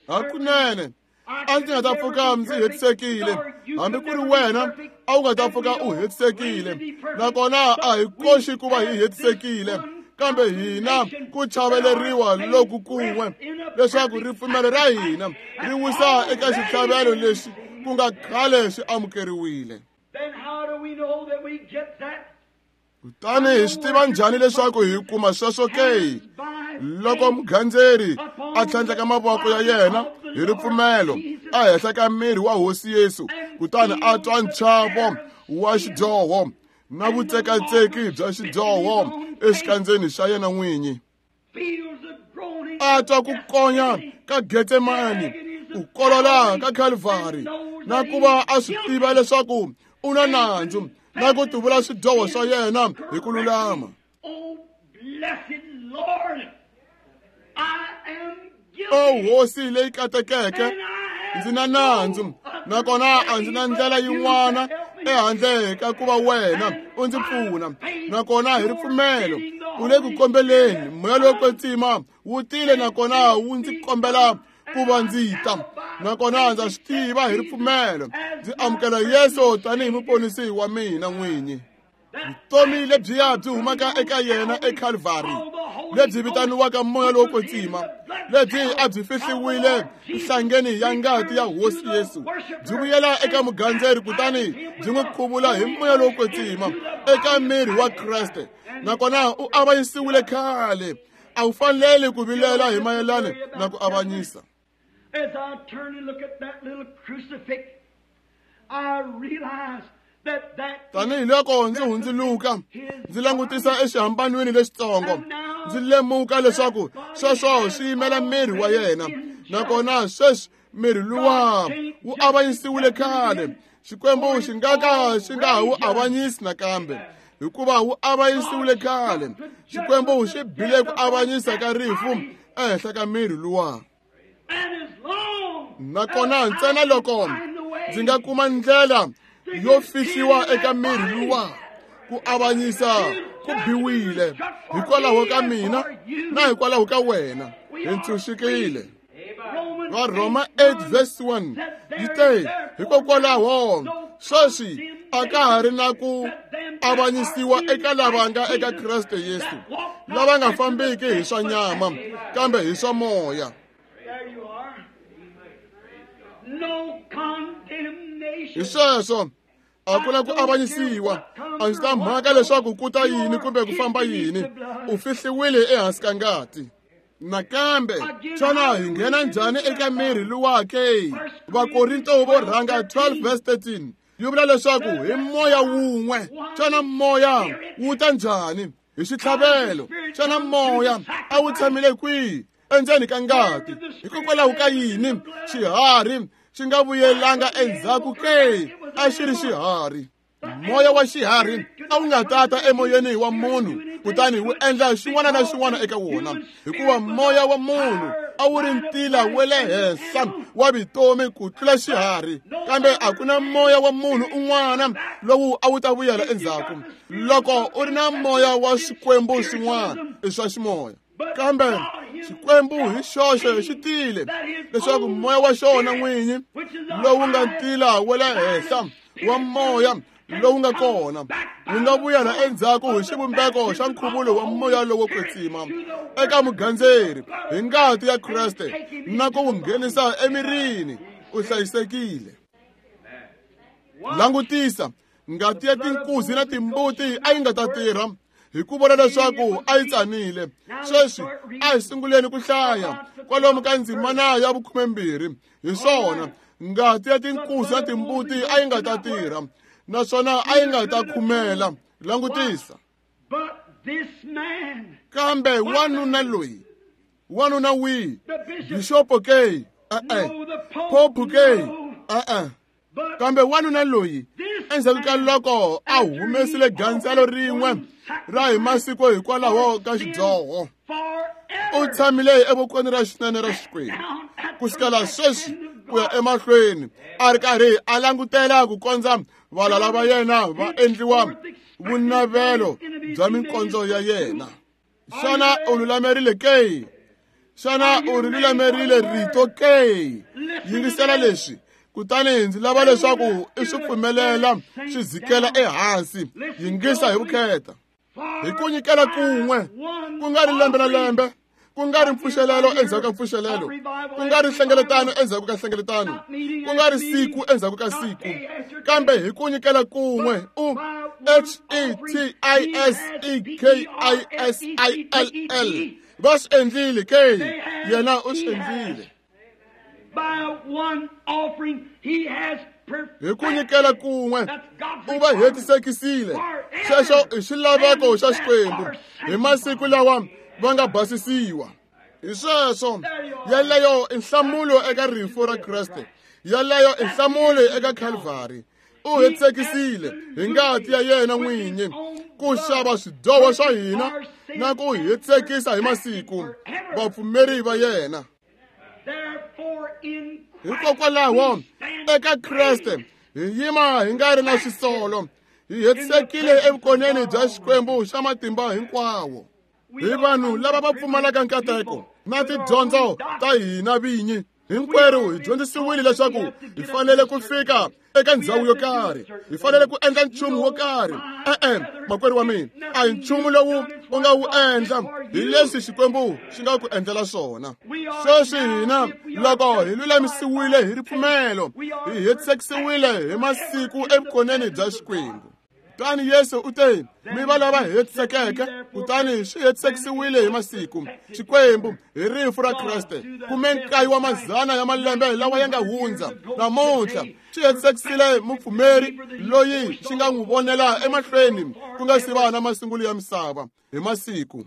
Hakunene a ndzi nga ta pfuka ndzi hetisekile, hambi ku ri wena a wu nga ta pfuka u hetisekile, nakona a hi koxi ku va hi hetisekile, kambe hina ku chaveleriwa loku kun'we leswaku ripfumelo ra hina ri wisa eka xitlhavelo lexi ku nga khale xi amukeriwile. Kutani hi swi tiva njhani leswaku hi kuma sweswo ke? Loko mugandzeri a tlhandleka mavoko ya yena hi ripfumelo ehenhla ka miri wa Hosi Yesu, kutani a twa nchavo wa xidyoho na vutsekatseki bya xidyoho exikandzeni xa yena n'winyi, a twa ku konya ka Getsemani, ku kolola ka Calvary, na ku va a swi tiva leswaku u na nandzu na ku tivula swidyoho swa yena hi ku lulama. O Hosi leyi katekeke, ndzi na nandzu, nakona a ndzi na ndlela yin'wana ehandle ka ku va wena u ndzi pfuna, nakona hi ripfumelo u le ku kombeleni moya lowo kwetsima wu tile nakona wu ndzi kombela ku va ndzi ta, nakona ndza swi tiva hi ripfumelo ndzi amukela Yesu tanihi muponisi wa mina n'winyi. Vutomi lebyiya byi humaka eka yena eCalvary, lebyi vitaniwaka moya lowo kwetsima, lebyi a byi fihliwile nhlangeni ya ngati ya Hosi Yesu, byi vuyela eka mugandzeri kutani byi n'wi khuvula hi moya lowo kwetsima eka miri wa Kreste, nakona u avanyisiwile khale. A wu faneli ku vilela hi mayelana na ku avanyisa. As I turn and look at that little crucifix, I realize Tanihi loko ndzi hundzuluka ndzi langutisa exihambanweni lexitsongo, ndzi lemuka leswaku sweswo swi yimela miri wa yena, nakona sweswi miri luwa wu avanyisiwile khale. Xikwembu xi nga ka xi nga ha wu avanyisi nakambe, hikuva wu avanyisiwile khale. Xikwembu xi bile ku avanyisa ka rifu ehenhla ka miri luwa. Nakona ntsena loko ndzi nga kuma ndlela yo fihliwa eka miri luwa, ku avanyisa ku biwile hikwalaho ka mina na hikwalaho ka wena, hi ntshunxekile. Varhoma 8 verse 1 yi te, hikokwalaho sweswi a ka ha ri na ku avanyisiwa eka lava nga eka Kreste Yesu, lava nga fambiki hi swa nyama kambe hi swa moya. Hi sweswo a ku na ku avanyisiwa. A ndzi ta mhaka leswaku ku ta yini kumbe ku famba yini, u fihliwile ehansi ka ngati. Nakambe xana hi nghena njhani eka miri luwa ke? Vakorinto vo rhanga 12 verse 13 yi vula leswaku hi moya wun'we. Xana moya wu ta njhani? Hi xitlhavelo. Xana moya a wu tshamile kwihi? Endzeni ka ngati. Hikokwalaho ka yini xiharhi xi nga vuyelanga endzhaku ke? A xi ri xiharhi. Moya wa xiharhi a wu nga tata emoyeni wa munhu kutani wu endla xin'wana na xin'wana eka wona, hikuva moya wa munhu a wu ri ntila wa le henhla wa vutomi ku tlula xiharhi. Kambe a ku na moya wa munhu un'wana lowu a wu ta vuyela endzhaku. Loko u ri na moya wa xikwembu xin'wana i swa ximoya, kambe Xikwembu hi xoxe xi tile leswaku moya wa xona n'winyi lowu nga ntila wa le henhla wa moya lowu nga kona wu nga vuyela endzhaku hi xivumbeko xa nkhuvulo wa moya lowo kwetsima eka mugandzeri hi ngati ya Kreste na ku wu nghenisa emirini. U hlayisekile. Langutisa, ngati ya tinkuzi na timbuti a yi nga ta tirha hi ku vona leswaku a yi tsanile. Sweswi a hi sunguleni ku hlaya kwalomu ka ndzimana ya 12. Hi swona, ngati ya tinkuzi na timbuti a yi nga ta tirha naswona a yi nga ta khumela. Langutisa. Kambe wanuna loyi, wanuna wihi? Bixopo ke? E-e. Pope ke? E-e. Kambe wanuna loyi endzhaku ka loko a humesile gandzelo rin'we ra hi masiku hikwalaho ka xidyoho, u tshamile evokweni ra xinene ra Xikwembu ku sukela sweswi ku ya emahlweni, a ri karhi a langutela ku kondza valala va yena va endliwa vunavelo bya minkondzo ya yena. Xana u lulamerile ke? Xana u ri lulamerile rito ke? Yingisela leswi, kutani ndzi lava leswaku i swi pfumelela swi dzikela ehansi. Yingisa hi vukheta. Hi ku nyikela kun'we, ku nga ri lembe na lembe, ku nga ri mpfuxelelo endzhaku ka mpfuxelelo, ku nga ri nhlengeletano endzhaku ka nhlengeletano, ku nga ri siku endzhaku ka siku, kambe hi ku nyikela kun'we u H E T I S E K I S I L L. Va swi endlile ke? Yena u swi endlile. Hi ku nyikela kun'we u va hetisekisile. Sweswo i xilaveko xa Xikwembu hi masiku lawa va nga basisiwa. Hi sweswo, yeleyo i nhlamulo eka rifu ra Kreste, yeleyo i nhlamulo eka Calvary. U hetisekisile hi ngati ya yena n'winyi ku xava swidyoho swa hina na ku hetisekisa hi masiku vapfumeri va yena. Hikokwalaho eka Kreste hi yima hi nga ri na xisolo, hi hetisekile evukoneni bya Xikwembu xa matimba hinkwawo. Hi vanhu lava va pfumalaka nkateko na tidyondzo ta hina vinyi, hinkwerhu hi dyondzisiwile leswaku hi fanele ku fika eka ndhawu yo karhi, hi fanele ku endla nchumu wo karhi. E-e, makwerhu wa mina, a hi nchumu lowu u nga wu endla, hi leswi Xikwembu xi nga ku endlela swona. Sweswi hina loko hi lulamisiwile hi ripfumelo, hi hetisekisiwile hi masiku evukoneni bya Xikwembu. Kutani Yesu u te, mi va lava hetisekeke, kutani swi hetisekisiwile hi masiku. Xikwembu hi rifu ra Kreste, 19 wa mazana ya malembe lawa ya nga hundza, namuntlha xi hetisekisile mupfumeri loyi xi nga n'wi vonela emahlweni ku nga si va na masungulo ya misava hi masiku.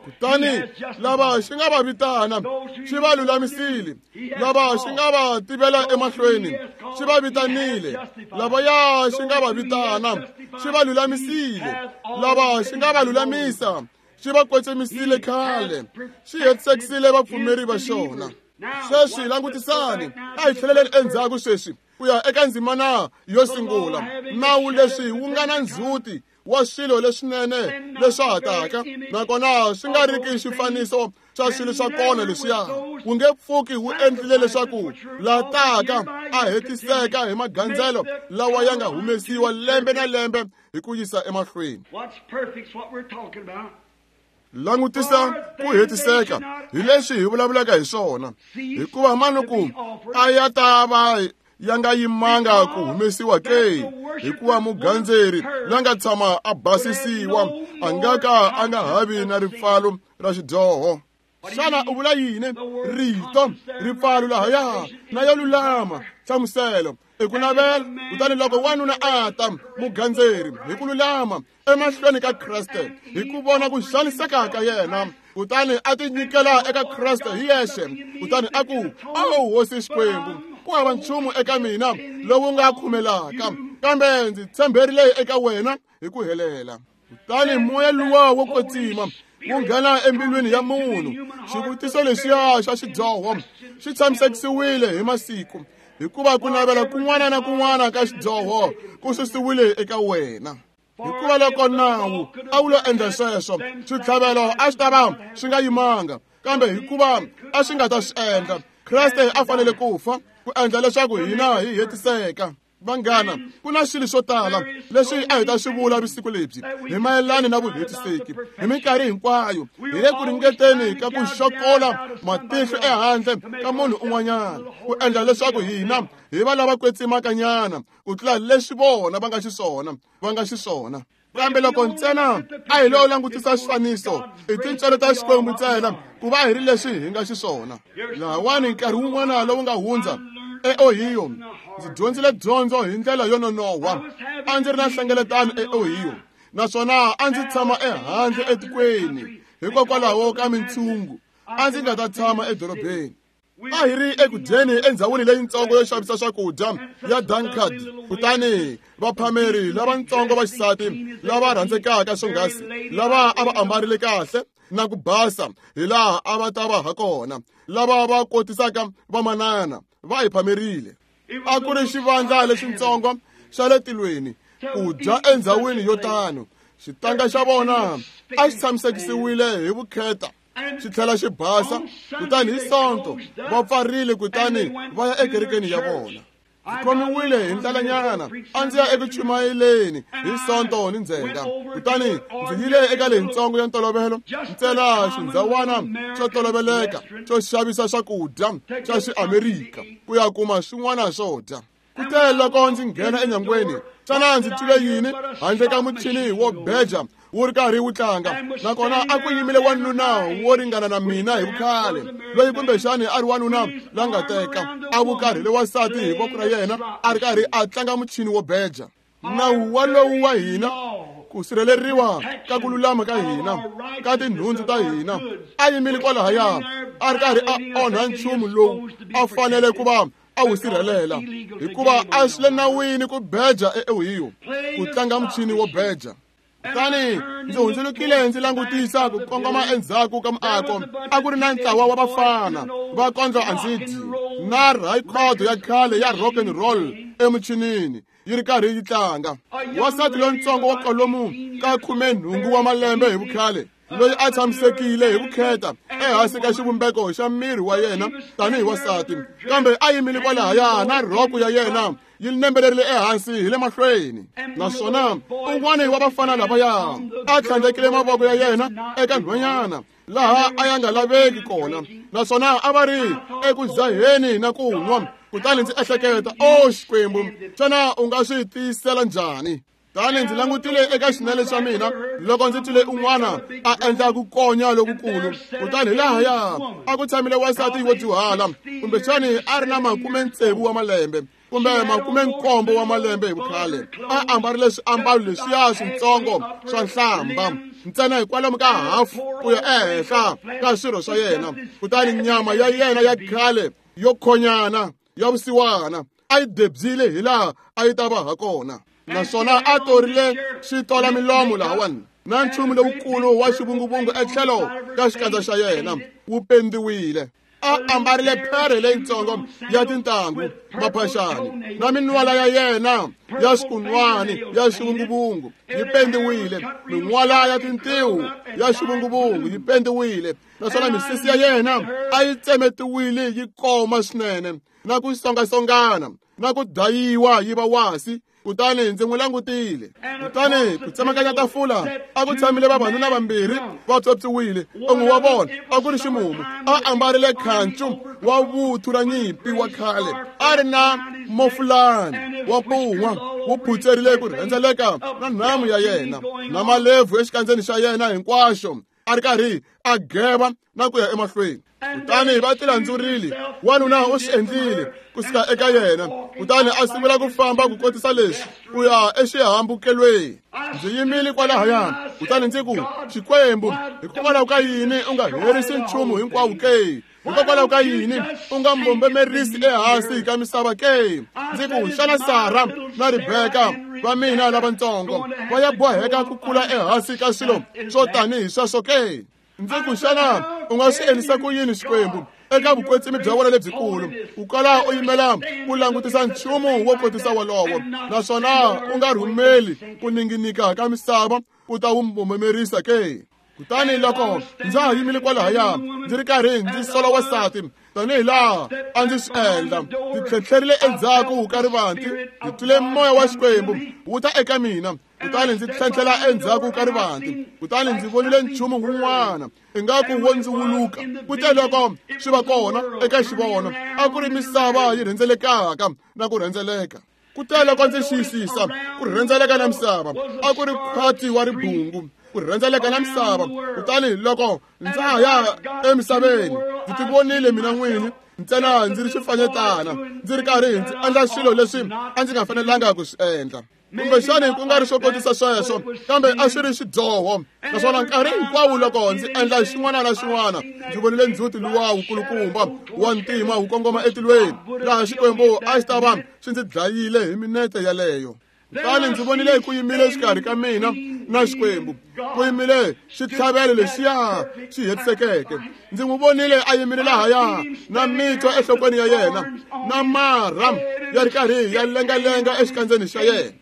Kutani lava xi nga va vitana xi va lulamisile, lava xi nga va tivela emahlweni xi va vitanile, lavaya xi nga va vitana xi va lulamisile, lava xi nga va lulamisa xi va kwetsemisile khale, xi hetisekisile vapfumeri va xona. Sweswi langutisani, a hi tlheleleni endzhaku sweswi ku ya eka ndzimana yo sungula. Nawu leswi wu nga na ndzhuti wa swilo leswinene leswa ha taka, nakona swi nga riki xifaniso xa swilo swa kona leswiya, wu nge pfuki wu endlile leswaku la taka a hetiseka hi magandzelo lawa ya nga humesiwa lembe na lembe hi ku yisa emahlweni. Langutisa ku hetiseka hi leswi hi vulavulaka hi swona, hikuva manuku a ya ta va ya nga yimanga ku humesiwa ke, hikuva mugandzeri la nga tshama a basisiwa a nga ka a nga havi na ripfalo ra xidyoho. Xana u vula yini? Rito ripfalo lahaya na yo lulama nhlamuselo i ku navela. Kutani loko wanuna a ta mugandzeri hi ku lulama emahlweni ka Kreste hi ku vona ku xaniseka ka yena, kutani a tinyikela eka Kreste hi yexe, kutani a ku, "Owu Hosi Xikwembu, Ku hava nchumu eka mina lowu nga khumelaka, kambe ndzi tshemberile eka wena hi ku helela. Kutani moya luwa wo kwetsima wu nghena embilwini ya munhu. Xivutiso lexiya xa xidyoho xi tshamisekisiwile hi masiku, hikuva ku navela kun'wana na kun'wana ka xidyoho ku susiwile eka wena. Hikuva loko nawu a wu lo endla sweswo, switlhavelo a swi ta va swi nga yimanga, kambe hikuva a swi nga ta swi endla, Kreste a fanele ku fa ku endla leswaku hina hi hetiseka. Vanghana, ku na swilo swo tala leswi a hi ta swi vula vusiku lebyi hi mayelana na vuhetiseki. Hi minkarhi hinkwayo hi le ku ringeteni ka ku xokola matihlo ehandle ka munhu un'wanyana ku endla leswaku hina hi va lava kwetsimakanyana ku tlula leswi vona va nga xiswona. Kambe loko ntsena a hi lo langutisa xifaniso i tintswalo ta Xikwembu ntsena ku va hi ri leswi hi nga xiswona. Lahawani nkarhi wun'wana lowu nga hundza eOhio, ndzi dyondzile dyondzo hi ndlela yo nonohwa. A ndzi ri na nhlengeletano eOhio, naswona a ndzi tshama ehandle etikweni hikokwalaho ka mintshungu. A ndzi nga ta tshama edorobeni. A hi ri eku dyeni endhawini leyintsongo yo xavisa swakudya ya Dunkard, kutani vaphameri lavatsongo va xisati lava rhandzekaka swonghasi, lava a va ambarile kahle na ku basa hi laha a va ta va ha kona, lava va kotisaka vamanana, va hi phamerile. A ku ri xivandla lexintsongo xa le tilweni ku dya endhawini yo tano. Xitanga xa vona a xi tshamisekisiwile hi vukheta, xi tlhela xi basa. Kutani hi Sonto va pfarile kutani va ya ekerekeni ya vona. Ndzi khomiwile hi ndlalanyana, a ndzi ya eku chumayeleni hi Sonto ni ndzhenga. Kutani ndzi yile eka leyintsongo ya ntolovelo, ntsena xindhawana xo toloveleka xo xavisa swakudya xa Xiamerika ku ya kuma swin'wana swo dya. Kute loko ndzi nghena enyangweni, xana ndzi twile yini handle ka muchini wo beja wu ri karhi wu tlanga? Nakona a ku yimile wanuna wo ringana na mina hi vukhale, loyi kumbexani a ri wanuna la nga teka, a vukarhile wansati hi voko ra yena, a ri karhi a tlanga muchini wo beja. Nawu walowu wa hina, ku sirheleriwa ka ku lulama ka hina, ka tinhundzu ta hina, a yimile kwalahaya a ri karhi a onha nchumu lowu a fanele ku va a wu sirhelela, hikuva a swi le nawini ku beja eOhio, ku tlanga muchini wo beja. Kutani ndzi hundzulukile ndzi langutisa ku kongoma endzhaku ka muako. A ku ri na ntlawa wa vafana va kondlo a ndzi dyi na rhayikhodo ya khale ya rock and roll emuchinini yi ri karhi yi tlanga. Wansati lontsongo wa kwalomu ka 18 wa malembe hi vukhale, loyi a tshamisekile hi vukheta ehansi ka xivumbeko xa miri wa yena tanihi wansati, kambe a yimile kwalahaya na rhoko ya yena yi nembelerile ehansi hi le mahlweni. Naswona un'wana wa vafana lavaya a tlhandlekile mavoko ya yena eka nhwanyana laha a ya nga laveki kona, naswona a va ri eku dzaheni na ku nwa. Kutani ndzi ehleketa, o Xikwembu, xana u nga swi tiyisela njhani? Tani ndzi langutile eka xinene xa mina loko ndzi twile un'wana a endla ku konya lokukulu. Kutani hi lahaya a ku tshamile wansati wo dyuhala, kumbexani a ri na 60 wa malembe kumbe 17 wa malembe hi vukhale, a ambarile swiambalo leswiya swintsongo swa nhlamba ntsena hikwalomu ka hafu ku ya ehenhla ka swirho swa yena. Kutani nyama ya yena ya khale yo khonyana ya vusiwana a yi debyile hi laha a yi ta va ha kona, naswona a torile switola milomo lahawani na nchumu lowukulu wa xivunguvungu etlhelo ka xikandza xa yena wu pendiwile. A ambarile phere leyintsongo ya tintangu, maphaxani, na minwala ya yena ya xikunwani ya xivunguvungu yi pendiwile, minwala ya tintiho ya xivunguvungu yi pendiwile, naswona misisi ya yena a yi tsemetiwile yi koma swinene na ku songasongana na ku dayiwa yi va wasi. Kutani ndzi n'wi langutile. Kutani ku tsemakanya tafula a ku tshamile vavanuna vambirhi va pyopyiwile. Un'we wa vona a ku ri ximumu, a ambarile khancu wa vuthu ra nyimpi wa khale, a ri na mofulani wa pun'wa wu phutserile ku rhendzeleka na nhamu ya yena na malebvu exikandzeni xa yena hinkwaxo, a ri karhi a geva na ku ya emahlweni. Kutani va tilandzurile, wanuna u swi endlile kusuka eka yena, kutani a sungula ku famba ku kotisa leswi ku ya exihambukelweni. Ndzi yimile kwalahaya, kutani ndzi ku, Xikwembu, hikokwalaho ka yini u nga herisi nchumu hinkwawo ke? Hikokwalaho ka yini u nga mbombomerisi ehansi ka misava ke? Ndzi ku, xana Sara na Rebeka va mina lavatsongo va ya boheka ku kula ehansi ka swilo swo tanihi sweswo ke? Ndzi ku, xana u nga swi endlisa ku yini Xikwembu eka vukwetsimi bya wena lebyikulu ku kala u yimela ku langutisa nchumu wo kotisa wolowo, naswona u nga rhumeli ku ninginika ka misava ku ta wu mbombomerisa ke? Kutani loko ndza ha yimile kwalahaya ndzi ri karhi ndzi sola wansati tanihi laha a ndzi swi endla, ndzi tlhetlherile endzhaku ka rivanti, ndzi twile moya wa Xikwembu wu ta eka mina, kutani ndzi tlhentlhela endzhaku ka rivanti, kutani ndzi vonile nchumu wun'wana ingaku wo ndzi wuluka. Kute loko swi va kona eka xivono, a ku ri misava yi rhendzelekaka na ku rhendzeleka. Kute loko ndzi xiyisisa ku rhendzeleka na misava, a ku ri khwati wa ribungu ku rhendzeleka na misava. Kutani loko ndza ha ya emisaveni, ndzi tivonile mina n'wini ntsena ndzi ri xifanyetana, ndzi ri karhi ndzi endla swilo leswi a ndzi nga fanelanga ku swi endla. Kumbexani ku nga ri swo kotisa sweswo, kambe a swi ri xidyoho. Naswona nkarhi hinkwawo loko ndzi endla xin'wana na xin'wana, ndzi vonile ndzhuti luwa wukulukumba wa ntima wu kongoma etilweni, laha Xikwembu a xi ta va xi ndzi dlayile hi minete yaleyo. Kutani ndzi vonile ku yimile exikarhi ka mina na Xikwembu, ku yimile xitlhavelo lexiya xi hetisekeke. Ndzi n'wi vonile a yimile lahaya na mitwa enhlokweni ya yena, na marha ya ri karhi ya lengalenga exikandzeni xa yena.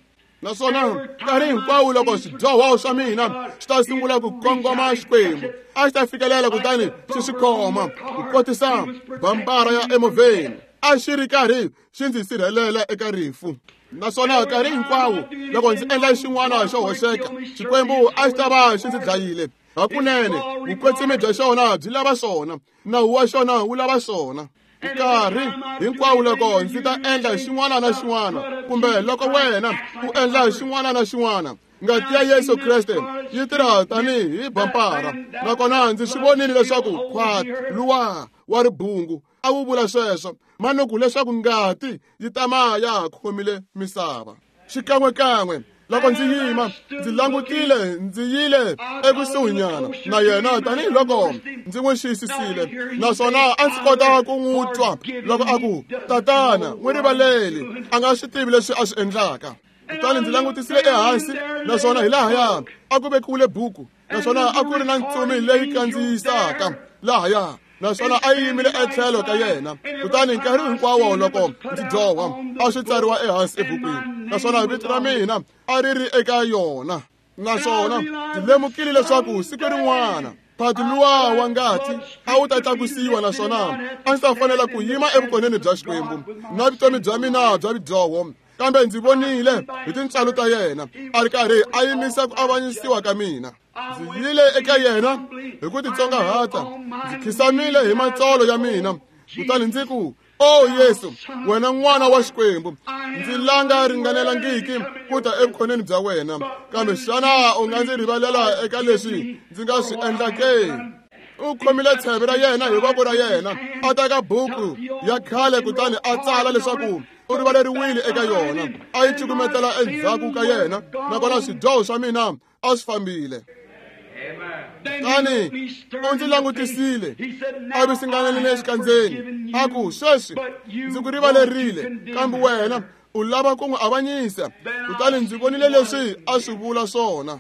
Naswona nkarhi hinkwawo loko swidyoho swa mina swi ta sungula ku kongoma Xikwembu, a xi ta fikelela kutani xi swi khoma ku kotisa bambara ya emovheni, a xi ri karhi xi ndzi sirhelela eka rifu. Naswona nkarhi hinkwawo loko ndzi endla xin'wana xo hoxeka, Xikwembu a xi ta va xi ndzi dlayile. Hakunene vukwetsimi bya xona byi lava swona, nawu wa xona wu lava swona. Nkarhi hinkwawo loko ndzi ta endla xin'wana na xin'wana, kumbe loko wena u endla xin'wana na xin'wana, ngati ya Yesu Kreste yi tirha tanihi bampara. Nakona ndzi swi vonile leswaku khwati luwa wa ribungu a wu vula sweswo, manuku leswaku ngati yi tama ya ha khomile misava. Xikan'wekan'we loko ndzi yima ndzi langutile, ndzi yile ekusuhinyana na yena tanihiloko ndzi n'wi xiyisisile, naswona a ndzi kota ku n'wi twa loko a ku, Tatana, n'wi rivaleli, a nga swi tivi leswi a swi endlaka. Kutani ndzi langutisile ehansi, naswona hi lahaya a ku vekiwile buku, naswona a ku ri na ntsumi leyi kandziyisaka lahaya, naswona a yi yimile etlhelo ka yena. Kutani nkarhi hinkwawo loko ndzi dyoha, a swi tsariwa ehansi ebukwini, naswona vito ra mina a ri ri eka yona. Naswona ndzi lemukile leswaku siku rin'wana phati luwa wa ngati a wu ta tlakusiwa, naswona a ndzi ta fanela ku yima evukoneni bya Xikwembu na vutomi bya mina bya vudyoho. Kambe ndzi vonile hi tintswalo ta yena a ri karhi a yimisa ku avanyisiwa ka mina. Ndzi yile eka yena hi ku titsongahata, ndzi khisamile hi matsolo ya mina, kutani ndzi ku, O Yesu, wena n'wana wa Xikwembu, ndzi langa ringanelangiki ku ta evukoneni bya wena, kambe xana u nga ndzi rivalela eka leswi ndzi nga swi endla ke? U khomile tsheve ra yena hi voko ra yena, a teka buku ya khale kutani a tsala leswaku u rivaleriwile eka yona, a yi cukumetela endzhaku ka yena, nakona swidyoho swa mina a swi fambile. Kutani u ndzi langutisile a visinganelile exikandzeni, a ku, sweswi ndzi ku rivalerile, kambe wena u lava ku n'wi avanyisa. Kutani ndzi vonile leswi a swi vula swona.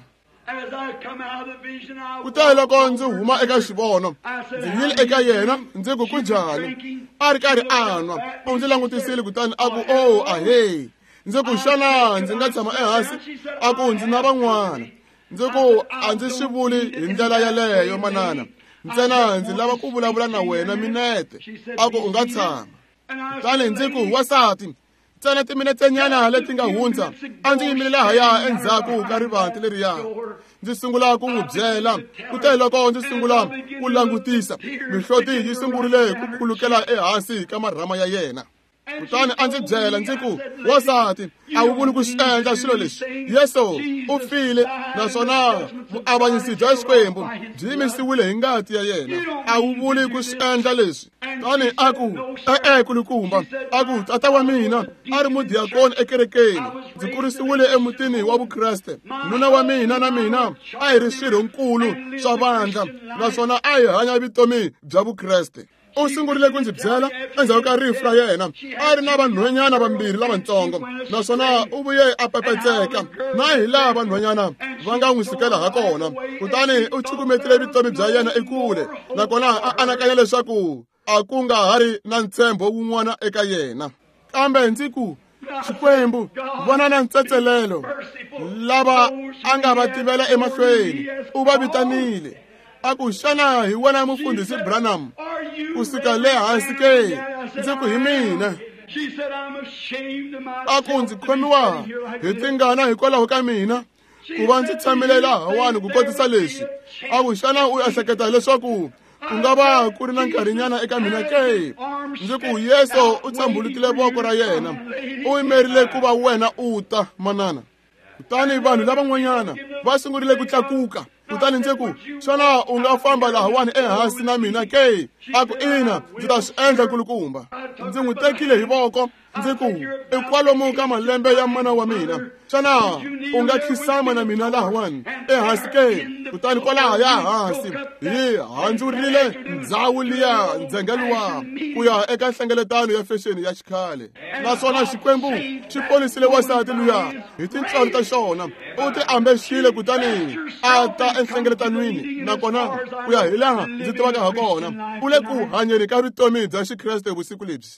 Kutani loko ndzi huma eka xivono, ndzi yile eka yena, ndzi ku, kunjhani? A ri karhi a nwa. U ndzi langutisile kutani a ku, oh, ahee. Ndzi ku, xana ndzi nga tshama ehansi? A ku, ndzi na van'wana. Ndzi ku, a ndzi swi vuli hi ndlela yaleyo, manana, ntsena ndzi lava ku vulavula na wena minete. A ku, u nga tshama. Kutani ndzi ku, wansati, ntsena timinetsenyana leti nga hundza a ndzi yimile lahaya endzhaku ka rivanti leriya, ndzi sungula ku n'wi byela. Kute loko ndzi sungula ku langutisa, mihloti yi sungurile ku khulukela ehansi ka marhama ya yena. Kutani a ndzi byela, ndzi ku, wansati, a wu vuli ku swi endla swilo leswi. Yesu u file, naswona vuavanyisi bya Xikwembu byi yimisiwile hi ngati ya yena. A wu vuli ku swi endla leswi. Kutani a ku, e-e, kulukumba. A ku, tata wa mina a ri mudiyakoni ekerekeni, ndzi kurisiwile emutini wa Vukreste. Nuna wa mina na mina a hi ri swirhonkulu swa vandla, naswona a hi hanya vutomi bya Vukreste. U sungurile ku ndzi byela endzhaku ka rifu ra yena a ri na vanhwanyana vambirhi lavatsongo, naswona u vuye a pepetseka na hi laha vanhwanyana va nga n'wi sukela ha kona. Kutani u cukumetile vutomi bya yena ekule, nakona a anakanya leswaku a ku nga ha ri na ntshembo wun'wana eka yena. Kambe ndzi ku, Xikwembu, vona na ntsetselelo lava a nga va tivela emahlweni, u va vitanile. A ku, xana hi wena mufundhisi Branham ku suka le hansi ke? Ndzi ku, hi mina. A ku, ndzi khomiwa hi tingana hikwalaho ka mina ku va ndzi tshamile lahawani ku kotisa leswi. A ku, xana u ehleketa leswaku ku nga va ku ri na nkarhinyana eka mina ke? Ndzi ku, Yesu u tshambulutile voko ra yena, u yimerile ku va wena u ta, manana. Kutani vanhu lavan'wanyana va sungurile ku tlakuka. Kutani ndzi ku, xana u nga famba lahawani ehansi na mina ke? A ku, ina, ndzi ta swi endla kulukumba. Ndzi n'wi tekile hi voko, ndzi ku, i kwalomu ka malembe ya mana wa mina, xana u nga khisama na mina lahawani ehansi ke? Kutani kwalahaya hansi hi handzurile ndzhawu liya ndzhenga luwa ku ya eka nhlengeletano ya fexeni ya xikhale. Naswona Xikwembu xi ponisile wansati luya hi tintswalo ta xona. U ti ambexile kutani a ta enhlengeletanweni, nakona ku ya hi laha ndzi tivaka ha kona, u le ku hanyeni ka vutomi bya Xikreste vusiku lebyi.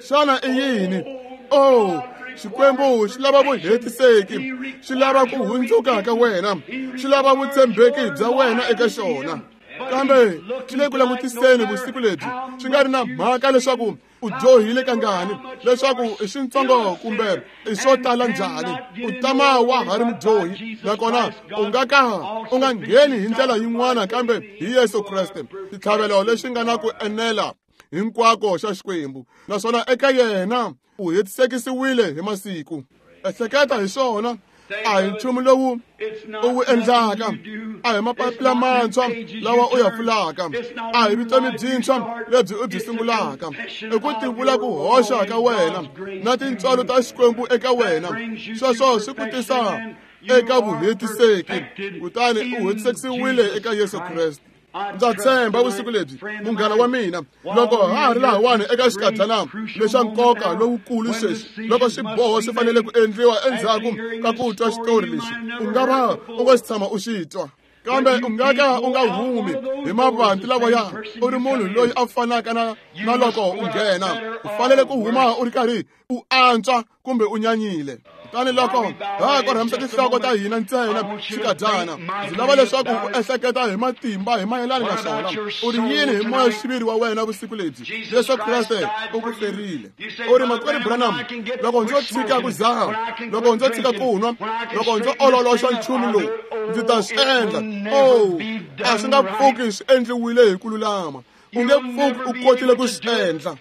Xana i yini? Oh, Xikwembu xi lava vuhetiseki, xi lava ku hundzuka ka wena, xi lava vutshembeki bya wena eka xona. Kambe xi le ku langutiseni vusiku lebyi, xi nga ri na mhaka leswaku u dyohile kangani, leswaku i swintsongo kumbe i swo tala njhani, u tama wa ha ri mudyohi, nakona u nga ka u nga ngheni hi ndlela yin'wana kambe hi Yesu Kreste, xitlhavelo lexi nga na ku enela hinkwako xa Xikwembu, naswona eka yena u hetisekisiwile hi masiku. Ehleketa hi swona, a hi nchumu lowu u wu endlaka, a hi mapapila mantshwa lawa u ya pfulaka, a hi vutomi byintshwa lebyi u byi sungulaka, i ku tivula ku hoxa ka wena na tintswalo ta Xikwembu eka wena. Sweswo swi ku tisa eka vuhetiseki, kutani u hetisekisiwile eka Yesu Kreste. Ndza tshemba vusiku lebyi, munghana wa mina, loko ha ha ri lahawani eka xikadyana lexa nkoka lowukulu sweswi, loko swiboho swi fanele ku endliwa endzhaku ka ku twa xitori lexi, u nga va u nga xi tshama u xi twa, kambe u nga ka u nga humi hi mavanti lawaya u ri munhu loyi a fanaka na loko u nghena. U fanele ku huma u ri karhi u antswa kumbe u nyanyile. Kutani loko ha korhamisa tinhloko ta hina ntsena xikadyana, ndzi lava leswaku u ehleketa hi matimba hi mayelana na swona. U ri yini hi moya xiviri wa wena vusiku lebyi? Yesu Kreste u ku ferile. U ri, Makwerhu Branham, loko ndzo tshika ku dzaha, loko ndzo tshika ku nwa, loko ndzo ololoxa nchumu lowu, ndzi ta swi endla. Oh, a swi nga pfuki swi endliwile hi ku lulama. U nge pfuki u kotile ku swi endla.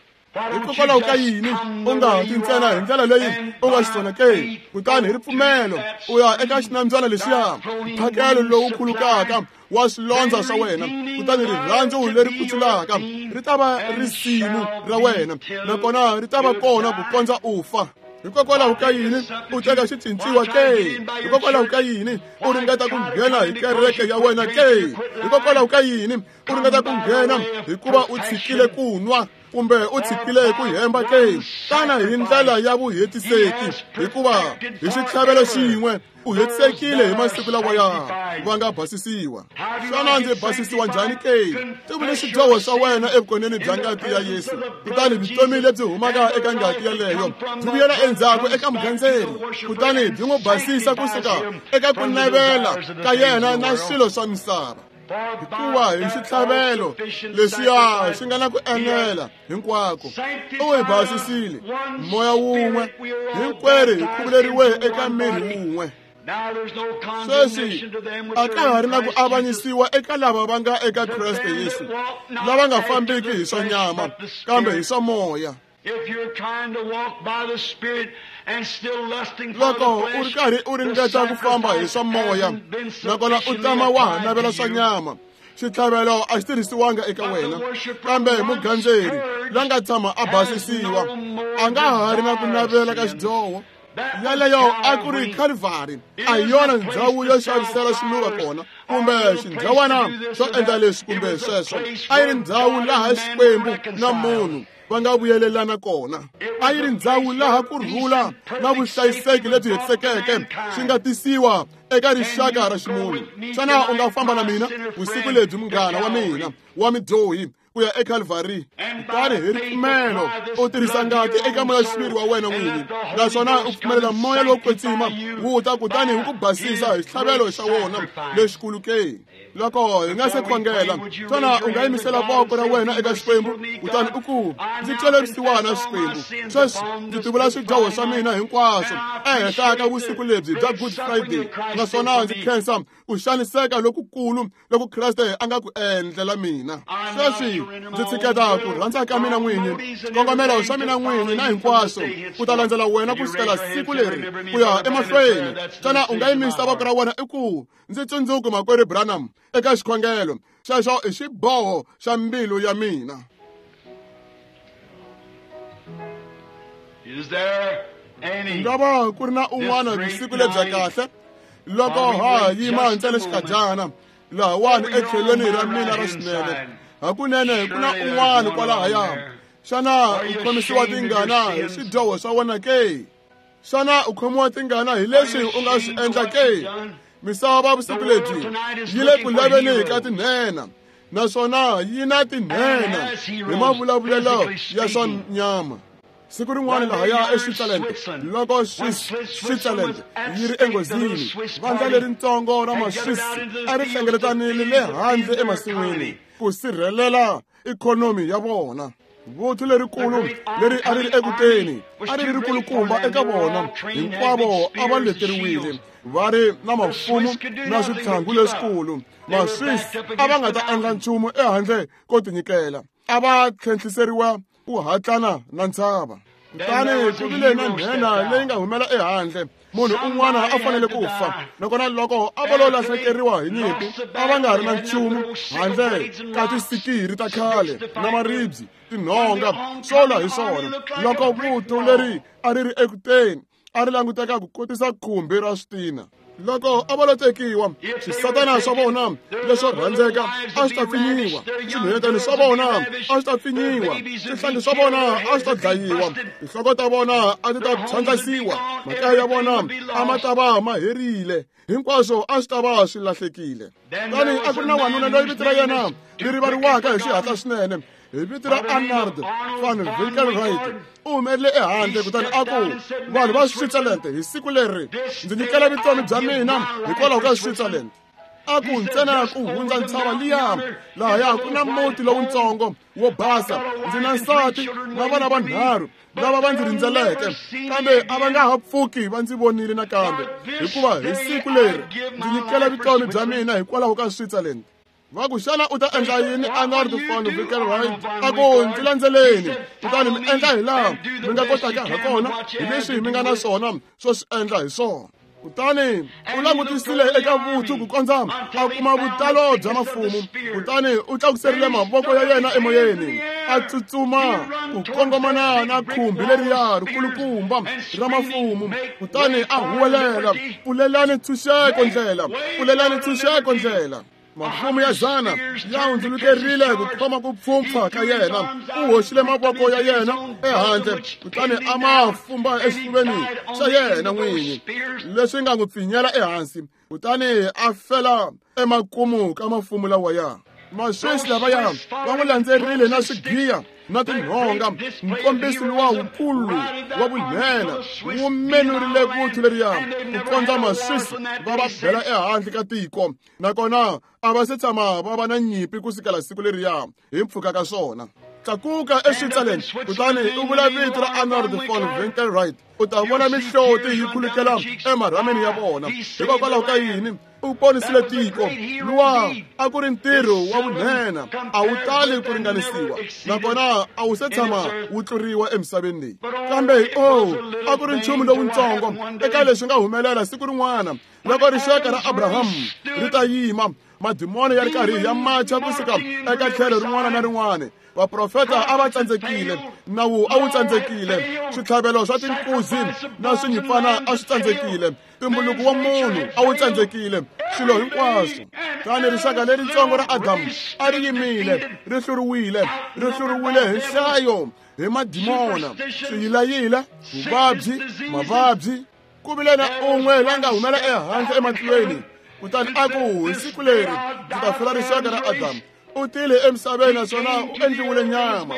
Hikokwalaho ka yini u nga ti ntsena hi ndlela leyi u nga xiswona ke? Kutani hi ripfumelo u ya eka xinambyana lexiya, mphakelo lowu khulukaka wa swilondza swa wena, kutani rirhandzu leri kutsulaka ri ta va risimu ra wena, nakona ri ta va kona ku kondza u fa. Hikokwalaho ka yini u teka xicinciwa ke? Hikokwalaho ka yini u ringeta ku nghena hi kereke ya wena ke? Hikokwalaho ka yini u ringeta ku nghena hikuva u tshikile ku nwa kumbe u tshikile ku hemba ke? Tana hi ndlela ya vuhetiseki, hikuva hi xitlhavelo xin'we u hetisekile hi masiku lawaya va nga basisiwa. Xana ndzi basisiwa njhani ke? Tivule swidyoho swa wena evukoneni bya ngati ya Yesu, kutani vutomi lebyi humaka eka ngati yaleyo byi vuyela endzhaku eka mugandzeri, kutani byi n'wi basisa kusuka eka ku navela ka yena na swilo swa misava. Hikuva hi xitlhavelo lexiya xi nga na ku enela hinkwako, u hi basisile moya wun'we, hinkwerhu hi khuvuleriwe eka miri wun'we. Sweswi a ka ha ri na ku avanyisiwa eka lava va nga eka Kreste Yesu, lava nga fambiki hi swa nyama kambe hi swa moya. Loko u ri karhi u ringeta ku famba hi swa moya, nakona u tama wa ha navela swa nyama, xitlhavelo a xi tirhisiwanga eka wena. Kambe mugandzeri la nga tshama a basisiwa a nga ha ri na ku navela ka xidyoho. Yaleyo a ku ri Calvary, a hi yona ndhawu yo xavisela swiluva kona kumbe xindhawana xo endla leswi kumbe sweswo. A yi ri ndhawu laha Xikwembu na munhu va nga vuyelelana kona. A yi ri ndhawu laha ku rhula na vuhlayiseki lebyi hetisekeke swi nga tisiwa eka rixaka ra ximunhu. Xana u nga famba na mina vusiku lebyi, munghana wa mina wa midyohi, ku ya eCalvary? Kutani hi ripfumelo u tirhisa ngati eka moya-xiviri wa wena n'wini, naswona u pfumelela moya lowo kwetsima wu ta kutani wu ku basisa hi xitlhavelo xa wona lexikulu ke. Loko hi nga se khongela, xana u nga yimisela voko ra wena eka Xikwembu kutani u ku, ndzi twele vusiwana Xikwembu, sweswi ndzi tivula swidyoho swa mina hinkwaswo ehenhla ka vusiku lebyi bya Good Friday, naswona ndzi khensa ku xaniseka lokukulu loku Kreste a nga ku endlela mina. Sweswi ndzi tshiketa ku rhandza ka mina n'winyi, xikongomelo xa mina n'winyi na hinkwaswo, ku ta landzela wena ku sukela siku leri ku ya emahlweni. Xana u nga yimisa voko ra wena i ku, ndzi tsundzuki makwerhu Branham eka xikhongelo xexo i xiboho xa mbilu ya mina. Nga va ku ri na un'wana vusiku lebya kahle loko ha yima ntsena xikadyana lahawani etlhelweni ra mina ra xinene. Hakunene ku na un'wana kwalahaya. Xana u khomisiwa tingana hi swidyoho swa wena ke? Xana u khomiwa tingana hi leswi u nga swi endla ke? Misava vusiku lebyi yi le ku laveni ka tinhenha, naswona yi na tinhenha hi mavulavulelo ya swa nyama. Siku rin'wana lahaya eSwitzerland, loko Switzerland yi ri enghozini, vandla leritsongo ra Maswiss a ri hlengeletanile le handle emasin'wini ku sirhelela ikhonomi ya vona. Vuthu lerikulu leri a ri ri ekuteni a ri ri rikulukumba eka vona, hinkwavo a va leteriwile, va ri na mafumu na switlhangu leswikulu. Maswiss a va nga ta endla nchumu ehandle ko tinyikela, a va tlhentlhiseriwa ku hatlana na ntshava. Kutani ku vile na nhenha leyi nga humela ehandle. Munhu un'wana a fanele ku fa, nakona loko a va lo lahlekeriwa hi nyimpi, a va nga ri na nchumu handle ka tisikiri ta khale na maribye, tinhonga, swo lwa hi swona. Loko vuthu leri a ri ri ekuteni a ri languteka ku kotisa khumbi ra switina. Loko a va lo tekiwa, swisatana swa vona leswo rhandzeka a swi ta pfinyiwa, swinhwanyetani swa vona a swi ta pfinyiwa, swihlangi swa vona a swi ta dlayiwa, tinhloko ta vona a ti ta phyandlasiwa, makaya ya vona a ma ta va ma herile, hinkwaswo a swi ta va swi lahlekile. Kutani a ku ri na wanuna loyi vito ra yena ri rivariwaka hi xihatla swinene, hi vito ra Arnold van Winkelried. U humerile ehandle kutani a ku, vanhu va Switzerland, hi siku leri ndzi nyikela vutomi bya mina hikwalaho ka Switzerland. A ku, ntsena ku hundza ntshava liya lahaya ku na muti lowutsongo wo basa, ndzi na nsati na vana vanharhu lava va ndzi rindzeleke, kambe a va nga ha pfuki va ndzi vonile nakambe, hikuva hi siku leri ndzi nyikela vutomi bya mina hikwalaho ka Switzerland. Va ku, xana u ta endla yini, Arnold van Winkelried? A ku, ndzi landzeleni kutani mi endla hi laha mi nga kotaka ha kona hi leswi mi nga na swona swo swi endla hi swona. Kutani u langutisile eka vuthu ku kondza a kuma vutalo bya mafumu, kutani u tlakuserile mavoko ya yena emoyeni, a tsutsuma ku kongomana na khumbi leriya rikulukumba ra mafumu, kutani a huwelela, pfulelani ntshunxeko ndlela, pfulelani ntshunxeko ndlela. Mafumu ya zana ya hundzulukerile ku khoma ku pfhumpfha ka yena. U hoxile mavoko ya yena ehandle kutani a ma fumba exifuveni xa yena n'winyi, leswi nga n'wi pfinyela ehansi, kutani a fela emakumu ka mafumu lawaya. Maswiss lavaya va n'wi landzerile na swigiya na tinhonga. Nkombiso luwa wukulu wa vunhenha wu menurile vuthu leriya ku kondza Maswiss va va bela ehandle ka tiko, nakona a va se tshama va va na nyimpi ku sukela siku leriya hi mpfhuka ka swona. Tlakuka eSwitzerland kutani u vula vito ra Arnold von Winkelried, u ta vona mihloti yi khulukela emarhameni ya vona. Hikokwalaho ka yini? U ponisile tiko. Luwa a ku ri ntirho wa vunhenha, a wu tali ku ringanisiwa, nakona a wu se tshama wu tluriwa emisaveni leyi. Kambe o a ku ri nchumu lowutsongo eka leswi nga humelela siku rin'wana loko rixaka ra Abraham ri ta yima. Madimoni ya ri karhi ya macha kusuka eka tlhelo rin'wana na rin'wana. Vaprofeta a va tsandzekile, nawu a wu tsandzekile, switlhavelo swa tinkuzi na swinyimpfana a swi tsandzekile, tumbuluko wa munhu a wu tsandzekile, swilo hinkwaswo. Tani rixaka leritsongo ra Adamu a ri yimile, ri hluriwile, ri hluriwile hi nhlayo hi madimona, swiyilayila, vuvabyi, mavabyi. Ku vile na un'we la nga humela ehandle ematilweni, kutani a ku, hi siku leri ndzi ta hlula rixaka ra Adamu. U tile emisaveni naswona u endliwile nyama.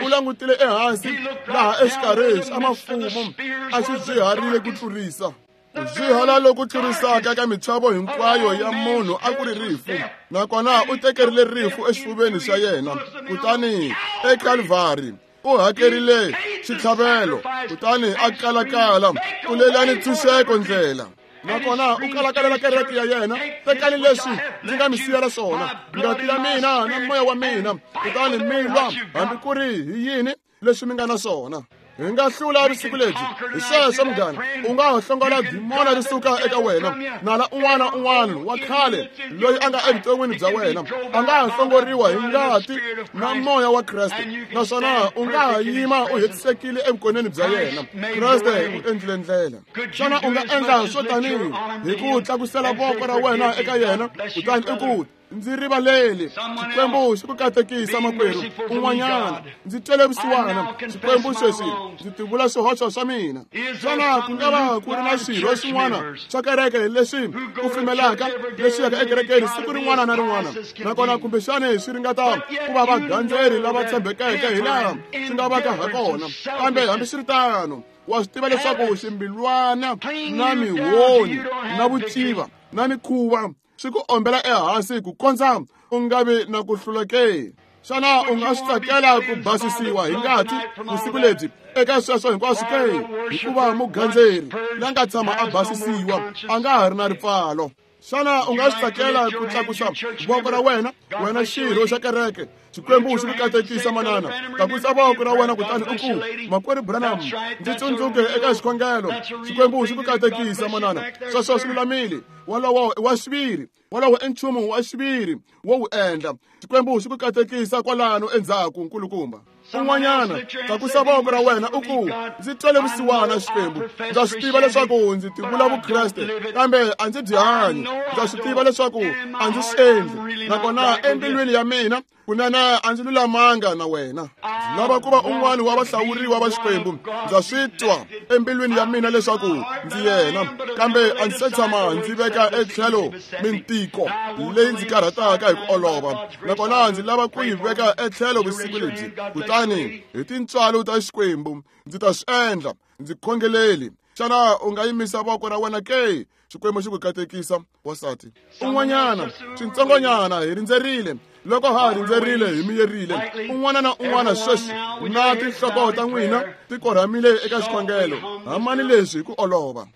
U langutile ehansi laha exikarhi xa mafumo a xi byiharile ku tlurisa. Ku byihala loku tlurisaka ka michavo hinkwayo ya munhu a ku ri rifu, nakona u tekerile rifu exifuveni xa yena. Kutani eKalvari u hakerile xitlhavelo, kutani a kalakala ku lelani ntshunxeko ndlela. Nakona u kalakalela kereke ya yena, tekani leswi ndzi nga mi siyela swona, ngati ya mina na moya wa mina, kutani mi lwa hambi ku ri hi yini leswi mi nga na swona. Hi nga hlula vusiku lebyi. Hi sweswo munghana, u nga ha hlongola dimona ri suka eka wena. Nala un'wana na un'wana wa khale loyi a nga evuton'wini bya wena a nga ha hlongoriwa hi ngati na moya wa Kreste, naswona u nga ha yima u hetisekile evukoneni bya yena. Kreste u endlile ndlela. Xana u nga endla swo tanihi hi ku tlakusela voko ra wena eka yena, kutani u ku, ndzi rivaleli, Xikwembu xi ku katekisa makwerhu un'wanyana, ndzi twele vusiwana, Xikwembu sweswi ndzi tivula swihoxo swa mina. Xana ku nga va ku ri na swirho swin'wana swa kereke leswi ku pfumelaka leswi yaka ekerekeni siku rin'wana na rin'wana, nakona kumbexani swi ringeta ku va vagandzeri lava tshembekeke hi laha swi nga vaka ha kona, kambe hambiswiritano wa swi tiva leswaku ximbilwana na mihoni na vuciva na mikhuva swi ku ombela ehansi ku kondza u nga vi na ku hlula ke? Xana u nga swi tsakela ku basisiwa hi ngati vusiku lebyi eka sweswo hinkwaswo ke? Hikuva mugandzeri la nga tshama a basisiwa a nga ha ri na ripfalo. Xana u nga swi tsakela ku tlakusa voko ra wena, wena xirho xa kereke? Xikwembu xi ku katekisa manana. Tlakusa voko ra wena kutani u ku, Makwerhu Branham, ndzi tsundzuke eka xikhongelo. Xikwembu xi ku katekisa manana. Sweswo swi lulamile. Wolowo i wa xiviri. Wolowo i nchumu wa xiviri wo wu endla. Xikwembu xi ku katekisa kwalano endzhaku, nkulukumba. Un'wanyana, tlakusa voko ra wena u ku, ndzi twele vusiwana Xikwembu. Ndza swi tiva leswaku ndzi tivula Vukreste, kambe a ndzi byi hanyi. Ndza swi tiva leswaku a ndzi swi endli, nakona embilwini ya mina kunene a ndzi lulamanga na wena. Ndzi lava ku va un'wana wa vahlawuriwa va Xikwembu. Ndza swi twa embilwini ya mina leswaku ndzi yena, kambe a ndzi se tshama ndzi veka etlhelo mintiko leyi ndzi karhataka hi ku olova, nakona ndzi lava ku yi veka etlhelo vusiku lebyi. Kutani hi tintswalo ta Xikwembu ndzi ta swi endla. Ndzi khongeleli. Xana u nga yimisa voko ra wena ke? Xikwembu xi ku katekisa, wansati. Un'wanyana, swintsongonyana, hi rindzerile. Loko ha rindzerile, hi miyerile. Un'wana na un'wana sweswi na tinhloko ta n'wina ti korhamile eka xikhongelo. Hamani leswi hi ku olova.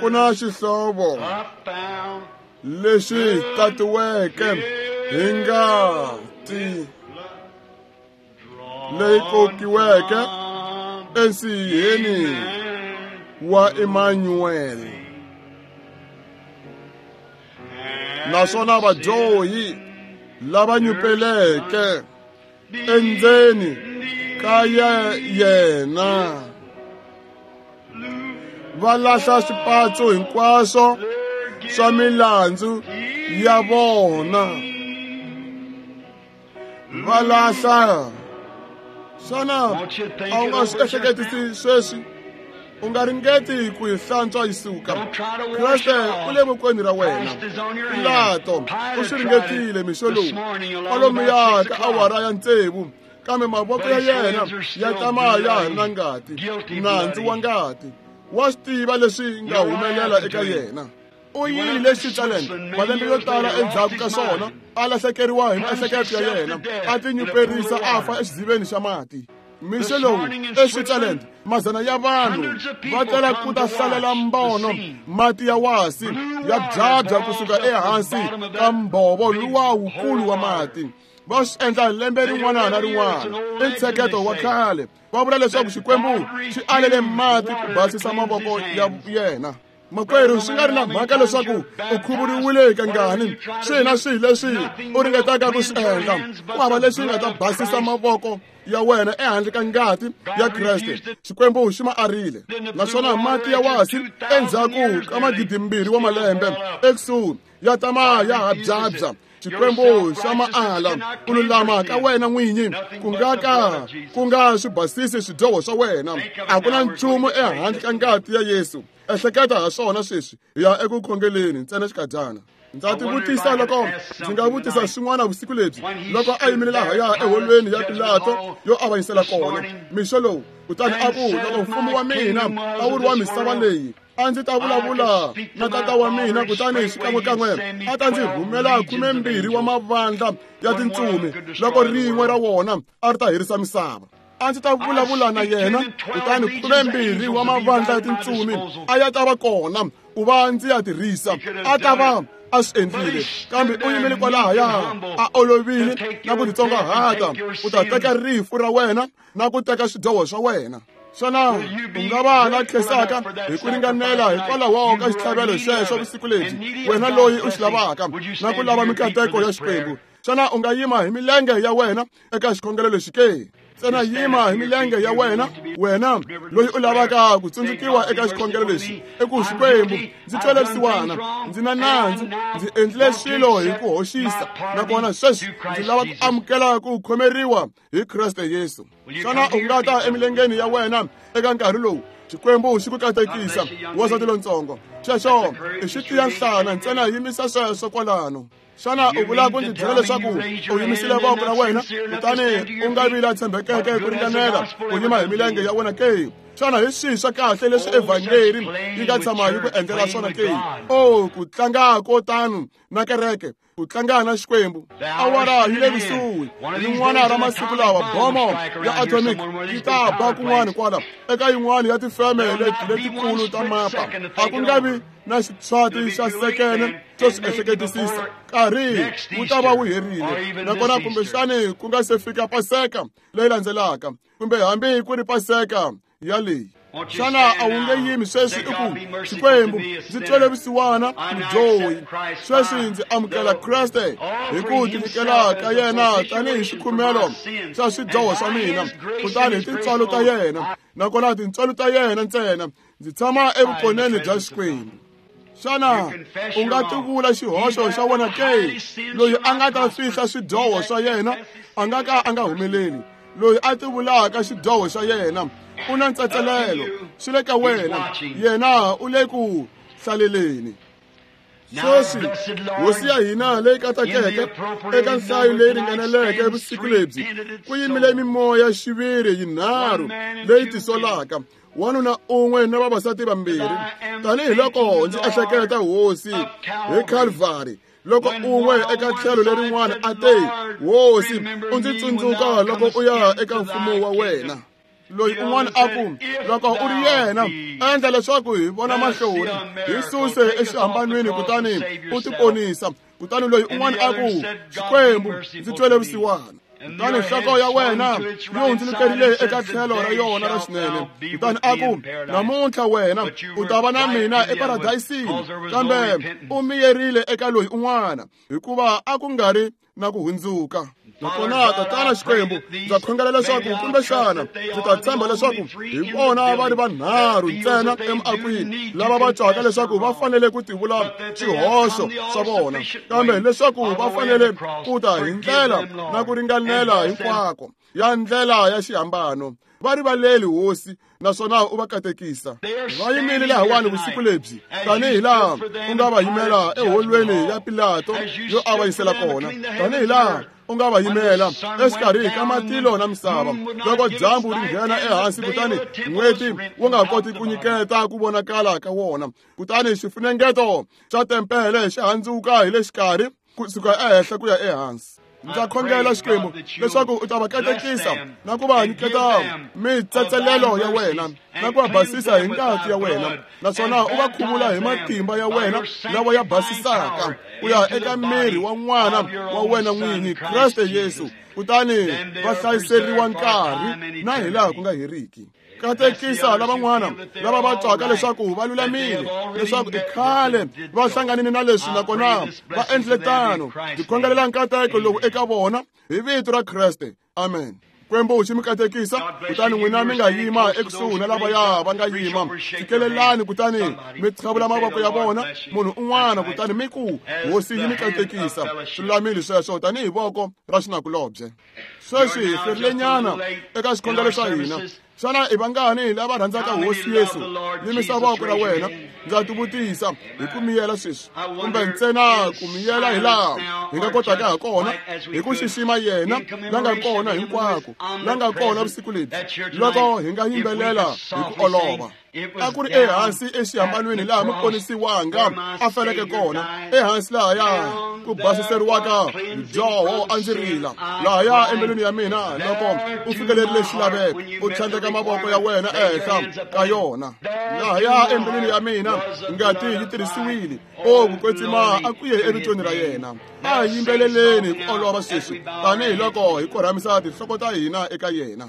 Ku na xihlovo lexi tatiweke hi ngati leyi kokiweke ensiheni wa Emmanuel. Naswona vadyohi lava nyupeleke endzeni ka yena va lahla swipatso hinkwaswo swa milandzu ya vona. Va lahla. Xana a wu nga swi ehleketisi sweswi? U nga ringeti ku yi hlantswa yi suka. Kreste u le vokweni ra wena. Pilato u swi ringetile mixo lowu kwalomuya ka awara ya 6, kambe mavoko ya yena ya tama ya ha ri na ngati, nandzu wa ngati. Wa swi tiva leswi nga humelela eka yena. U yile le Switzerland malembe yo tala endzhaku ka swona, a lahlekeriwa hi miehleketo ya yena, a tinyuperisa a fa exidziveni xa mati. Mixo lowu eSwitzerland, mazana ya vanhu va tela ku ta hlalela mbono, mati ya wasi ya byabya kusuka ehansi ka mbhovo luwa wukulu wa mati. Va swi endla lembe rin'wana na rin'wana. I ntsheketo wa khale. Va vula leswaku Xikwembu xi alele mati ku basisa mavoko ya yena. Makwerhu, swi nga ri na mhaka leswaku u khuvuriwile kangani, swihi na swihi leswi u ringetaka ku swi endla, ku hava leswi nga ta basisa mavoko ya wena ehandle ka ngati ya Kreste. Xikwembu xi ma arile, naswona mati ya wasi endzhaku ka 2000 wa malembe ekusuhi ya tama ya ha byabya. Xikwembu xa maala ku lulama ka wena n'winyi ku nga ka ku nga swi basisi swidyoho swa wena. A ku na nchumu ehandle ka ngati ya Yesu. Ehleketa ha swona sweswi, hi ya eku khongeleni ntsena xikadyana. Ndza tivutisa loko ndzi nga vutisa swin'wana vusiku lebyi, loko a yimile lahaya eholweni ya Pilato yo avanyisela kona mixo lowu, kutani a ku, loko mfumo wa mina a wu ri wa misava leyi, a ndzi ta vulavula na tata wa mina, kutani xikan'wekan'we a ta ndzi rhumela 12 wa mavandla ya tintsumi, loko rin'we ra wona a ri ta herisa misava. A ndzi ta vulavula na yena, kutani 12 wa mavandla ya tintsumi a ya ta va kona ku va ndzi ya tirhisa. A ta va a swi endlile, kambe u yimile kwalahaya a olovile na ku titsongahata ku ta teka rifu ra wena na ku teka swidyoho swa wena. Xana u nga va la khensaka hi ku ringanela hikwalaho ka xitlhavelo xexo vusiku lebyi, wena loyi u xi lavaka na ku lava mikateko ya Xikwembu? Xana u nga yima hi milenge ya wena eka xikhongelo lexi ke? Ntsena yima hi milenge ya wena, wena loyi u lavaka ku tsundzukiwa eka xikhongelo lexi. I ku, Xikwembu, ndzi twele vusiwana, ndzi na nandzu, ndzi endlile swilo hi ku hoxisa, nakona sweswi ndzi lava ku amukela ku khomeriwa hi Kreste Yesu. Xana u nga ta emilengeni ya wena eka nkarhi lowu? Xikwembu xi ku katekisa, wansati lontsongo. Xexo i xi tiya nhlana, ntsena yimisa sweswo kwalano. Xana u vula ku ndzi byela leswaku u yimisile voko ra wena kutani u nga vi la tshembekeke ku ringanela ku yima hi milenge ya wena ke? Xana hi swihi swa kahle leswi evhangeli yi nga tshama yi ku endlela swona ke? O, ku tlanga ko tano na kereke, ku tlanga na Xikwembu. Awara yi le kusuhi. Rin'wana ra masiku lawa bomo ya atomic yi ta ba kun'wana kwala eka yin'wana ya tifeme letikulu ta mapa. A ku nga vi na xitshwati xa sekene xo swi ehleketisisa. Nkarhi wu ta va wu herile, nakona kumbexani ku nga se fika Paseka leyi landzelaka, kumbe hambi ku ri Paseka ya leyi. Xana a wu nge yimi sweswi i ku, Xikwembu, ndzi twele vusiwana mudyohi, sweswi ndzi amukela Kreste hi ku tinyikela ka yena tanihi xikhumelo xa swidyoho swa mina, kutani hi tintswalo ta yena, nakona tintswalo ta yena ntsena, ndzi tshama evukoneni bya Xikwembu. Xana u nga tivula xihoxo xa wena ke? Loyi a nga ta fihla swidyoho swa yena a nga ka a nga humeleli. Loyi a tivulaka xidyoho xa yena u na ntsetselelo, swi le ka wena, yena u le ku hlaleleni. Sweswi hosi ya hina leyi katakeke eka nhlayo leyi ringaneleke vusiku lebyi, ku yimile mimoya xiviri yinharhu leyi tisolaka, wanuna un'we na vavasati vambirhi. Tanihiloko ndzi ehleketa hosi hi Calvary, loko un'we eka tlhelo lerin'wana a te, Hosi, u ndzi tsundzuka loko u ya eka mfumo wa wena. Loyi un'wana a ku, loko u ri yena, endla leswaku hi vona mahlori, hi suse exihambanweni kutani u tiponisa. Kutani loyi un'wana a ku, Xikwembu, ndzi twele vusiwana. Kutani nhloko ya wena yi hundzulukerile eka tlhelo ra yona ra xinene, kutani a ku, namuntlha wena u ta va na mina eparadayisini. Kambe u miyerile eka loyi un'wana, hikuva a ku nga ri na ku hundzuka. Nakona Tatana Xikwembu, ndza khongela leswaku kumbexana ndzi ta tshemba leswaku hi vona va ri vanharhu ntsena emiakwini lava va twaka leswaku va fanele ku tivula swihoxo swa vona, kambe leswaku va fanele ku ta hi ndlela na ku ringanela hinkwako ya ndlela ya xihambano. Va rivaleli, Hosi, naswona u va katekisa. Va yimile lahawani vusiku lebyi, tanihi laha u nga va yimela eholweni ya Pilato yo avanyisela kona, tanihi laha u nga va yimela exikarhi ka matilo na misava, loko dyambu ri nghena ehansi kutani n'weti wu nga koti ku nyiketa ku vonakala ka wona, kutani xifunengeto xa tempele xi handzuka hi le xikarhi kusuka ehenhla ku ya ehansi. Ndza khongela Xikwembu leswaku u ta va katekisa na ku va nyiketa mitsetselelo ya wena na ku va basisa hi ngati ya wena, naswona u va khuvula hi matimba ya wena lawa ya basisaka ku ya eka miri wa n'wana wa wena n'wini, Kreste Yesu, kutani va hlayiseriwa nkarhi na hilaha ku nga heriki. Katekisa lavan'wana lava va twaka leswaku va lulamile, leswaku i khale va hlanganile na leswi nakona va endlile tano. Ndzi khongelela nkateko lowu eka vona hi vito ra Kreste. Amen. Xikwembu xi mi katekisa, kutani n'wina mi nga yima ekusuhi na lavaya va nga yima. Fikelelani kutani mi qhavula mavoko ya vona munhu un'wana, kutani mi ku Hosi yi mi katekisa. Swi lulamile sweswo tanihi voko ra xinakulobye. Sweswi hi hlwerilenyana eka xikhongelo xa hina. Xana i vangani lava rhandzaka Hosi Yesu? Yimisa voko ra wena. Ndza tivutisa hi ku miyela sweswi, kumbe ntsena ku miyela hi laha hi nga kotaka ha kona, hi ku xixima yena la nga kona hinkwako, la nga kona vusiku lebyi, loko hi nga yimbelela hi ku olova. A ku ri ehansi exihambanweni laha muponisiwanga a feleke kona, ehansi lahaya ku basiseriwaka dyoho a ndzi rila lahaya embilwini ya mina loko u fikelerile xilaveko, u tlhandleka mavoko ya wena ehenhla ka yona. Lahaya embilwini ya mina ngati yi tirhisiwile. O ku kwetsima a ku ye evitweni ra yena. A hi yimbeleleni hi ku olova sweswi tanihiloko hi korhamisa tinhloko ta hina eka yena.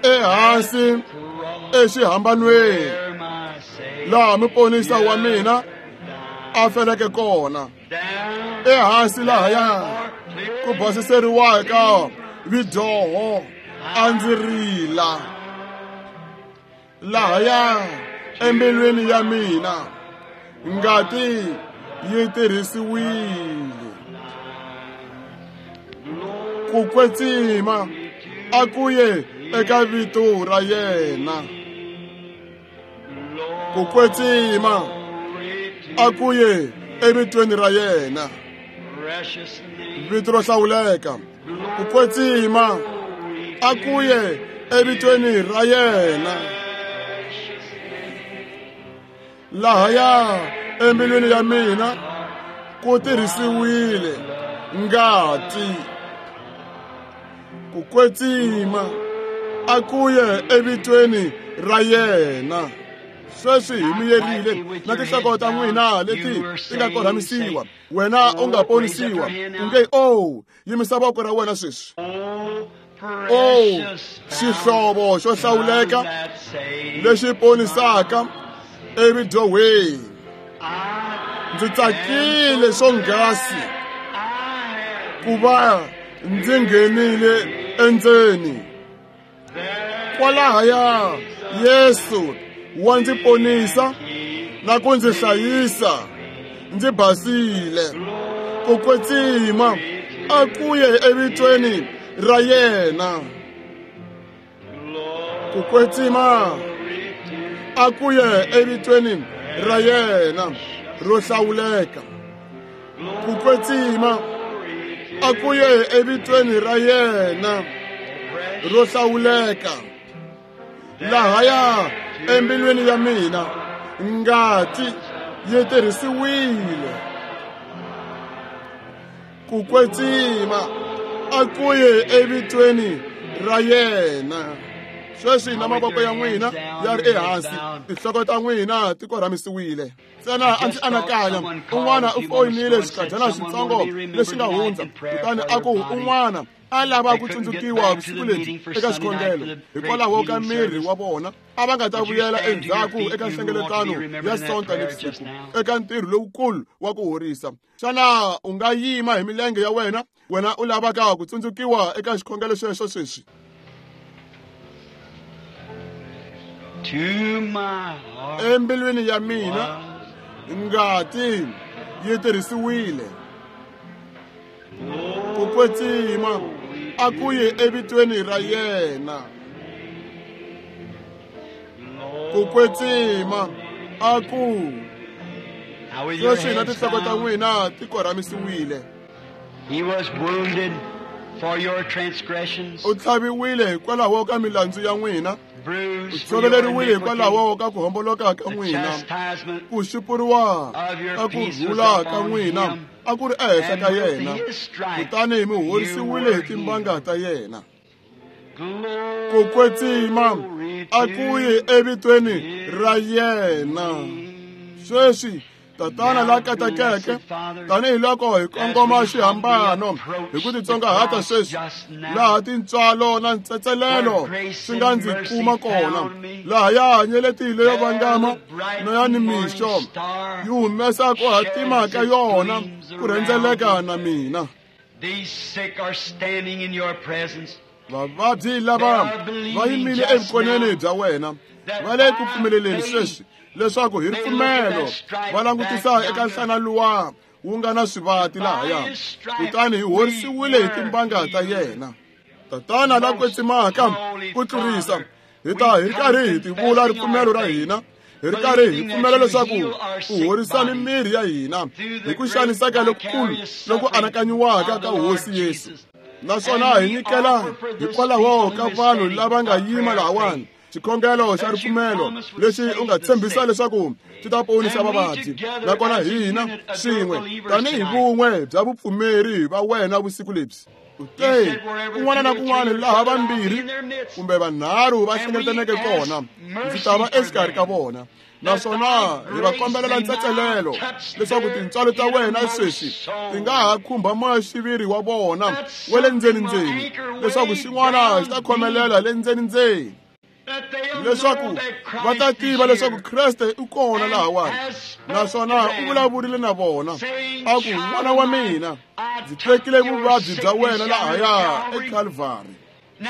Ehansi exihambanweni laha muponisa wa mina a feleke kona, ehansi lahaya ku basiseriwaka vidyoho a ndzi rila. Lahaya embilwini ya mina ngati yi tirhisiwile. Ku kwetsima a ku ye eka vito ra yena. Ku kwetsima a ku ye evitweni ra yena. Vito ro hlawuleka. Ku kwetsima a ku ye evitweni ra yena. Lahaya embilwini ya mina ku tirhisiwile ngati. Ku kwetsima a ku ye evitweni ra yena. Sweswi hi miyerile na tinhloko ta n'wina leti ti nga korhamisiwa. Wena u nga ponisiwa. U nge o yimisa voko ra wena sweswi. O xihlovo xo hlawuleka lexi ponisaka evidyohweni. Ndzi tsakile swonghasi ku va ndzi nghenile endzeni. Kwalahaya Yesu wa ndzi ponisa na ku ndzi hlayisa ndzi basile. Ku kwetsima a ku ye evitweni ra yena. Ku kwetsima a ku ye evitweni ra yena ro hlawuleka. Ku kwetsima a ku ye evitweni ra yena ro hlawuleka. Lahaya embilwini ya mina ngati yi tirhisiwile. Ku kwetsima a ku ye evitweni ra yena. Sweswi na mavoko ya n'wina ya ri ehansi, tinhloko ta n'wina ti korhamisiwile. Ntsena a ndzi anakanya un'wana u foyinile xikadyana xitsongo lexi nga hundza, kutani a ku un'wana a lava ku tsundzukiwa vusiku lebyi eka xikhongelo hikwalaho ka miri wa vona. A va nga ta vuyela endzhaku eka nhlengeletano ya Sonta nivusiku eka ntirho lowukulu wa ku horisa. Xana u nga yima hi milenge ya wena, wena u lavaka ku tsundzukiwa eka xikhongelo xexo sweswi? Embilwini ya mina ngati yi tirhisiwile. Ku kwetsima a ku ye evitweni ra yena. Ku kwetsima a ku. Sweswi na tinhloko ta n'wina ti korhamisiwile. He was wounded for your transgressions. U tlhaviwile hikwalaho ka milandzu ya n'wina. U tshoveleriwile hikwalaho ka ku homboloka ka n'wina. Ku xupuriwa ka ku rhula ka n'wina a ku ri ehenhla ka yena, kutani mi horisiwile hi timbanga ta yena. Ku kwetsima a ku ye evitweni ra yena. Sweswi Tatana la katekeke, tanihiloko hi kongoma xihambano hi ku titsongahata sweswi, laha tintswalo na ntsetselelo swi nga ndzi kuma kona, laha ya hanyeleti leyo vangama na ya nimixo yi humesa ku hatima ka yona ku rhendzeleka na mina. Vavabyi lava va yimile evukoneni bya wena, va le ku pfumeleleni sweswi leswaku hi ripfumelo va langutisa eka nhlana luwa wu nga na swivati lahaya, kutani hi horisiwile hi timbanga ta yena. Tatana la kwetsimaka ku tlurisa, hi ta hi ri karhi hi tivula ripfumelo ra hina, hi ri karhi hi pfumela leswaku u horisa mimiri ya hina hi ku xaniseka lokukulu loku anakanyiwaka ka Hosi Yesu. Naswona hi nyikela hikwalaho ka vanhu lava nga yima lahawani xikhongelo xa ripfumelo lexi u nga tshembisa leswaku xi ta ponisa vavabyi, nakona hina swin'we tanihi vun'we bya vupfumeri va wena vusiku lebyi. U te kun'wana na kun'wana laha vambirhi kumbe vanharhu va hlengeletaneke kona, ndzi ta va exikarhi ka vona. Naswona hi va kombelela ntsetselelo leswaku tintswalo ta wena sweswi ti nga ha khumba moya-xiviri wa vona wa le ndzeni-ndzeni, leswaku xin'wana xi ta khomelela le ndzeni-ndzeni, leswaku va ta tiva leswaku Kreste u kona lahawani, naswona u vulavurile na vona a ku, n'wana wa mina, ndzi tekile vuvabyi bya wena lahaya eKalvari.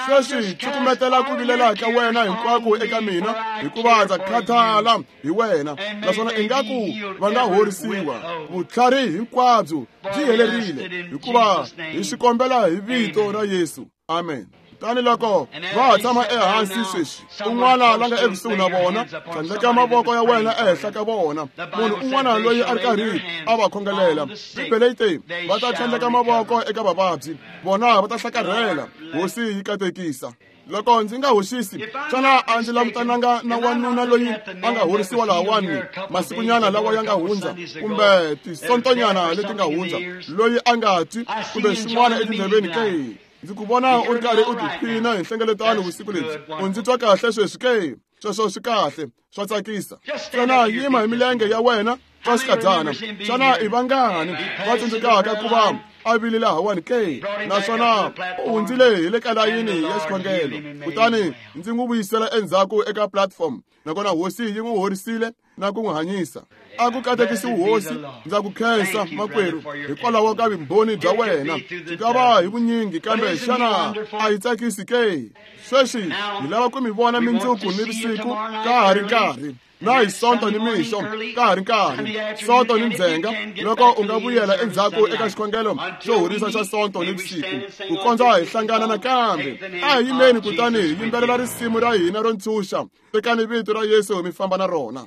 Sweswi cukumetela ku vilela ka wena hinkwako eka mina, hikuva ndza khathala hi wena, naswona ingaku va nga horisiwa. Vutlhari hinkwabyo byi helerile, hikuva hi swi kombela hi vito ra Yesu. Amen. Tani loko va ha tshama ehansi sweswi, un'wana la nga ekusuhi na vona, tlhandleka mavoko ya wena ehenhla ka vona. Munhu un'wana loyi a ri karhi a va khongelela, Bibele yi te va ta tlhandleka mavoko eka vavabyi, vona va ta hlakarhela. Hosi yi katekisa. Loko ndzi nga hoxisi, xana a ndzi langutananga na wanuna loyi a nga horisiwa lahawani masikunyana lawa ya nga hundza, kumbe tisontonyana leti nga hundza, loyi a nga twi kumbe swin'wana etindleveni ke? Ndzi ku vona u ri karhi u tiphina hi nhlengeletano vusiku lebyi. U ndzi twa kahle sweswi ke? Sweswo swi kahle, swa tsakisa. Xana yima hi milenge ya wena swa xikadzana? Xana i vangani va tsundzukaka ku va a vile lahawani ke? Naswona u hundzile hi le ka layini ya xikhongelo, kutani ndzi n'wi vuyisela endzhaku eka platform, nakona Hosi yi n'wi horisile na ku n'wi hanyisa. A ku katekisiwi Hosi. Ndza ku khensa makwerhu hikwalaho ka vumbhoni bya wena. Byi nga va hi vunyingi, kambe xana a yi tsakisi ke? Sweswi hi lava ku mi vona mindzuku ni vusiku ka ha ri nkarhi, na hi Sonto ni mixo ka ha ri nkarhi, Sonto ni ndzhenga, loko u nga vuyela endzhaku eka xikhongelo xo horisa xa Sonto ni vusiku, ku kondza hi hlangana nakambe. A hi yimeni kutani hi yimbelela risimu ra hina ro ntshunxa. Tekani vito ra Yesu mi famba na rona.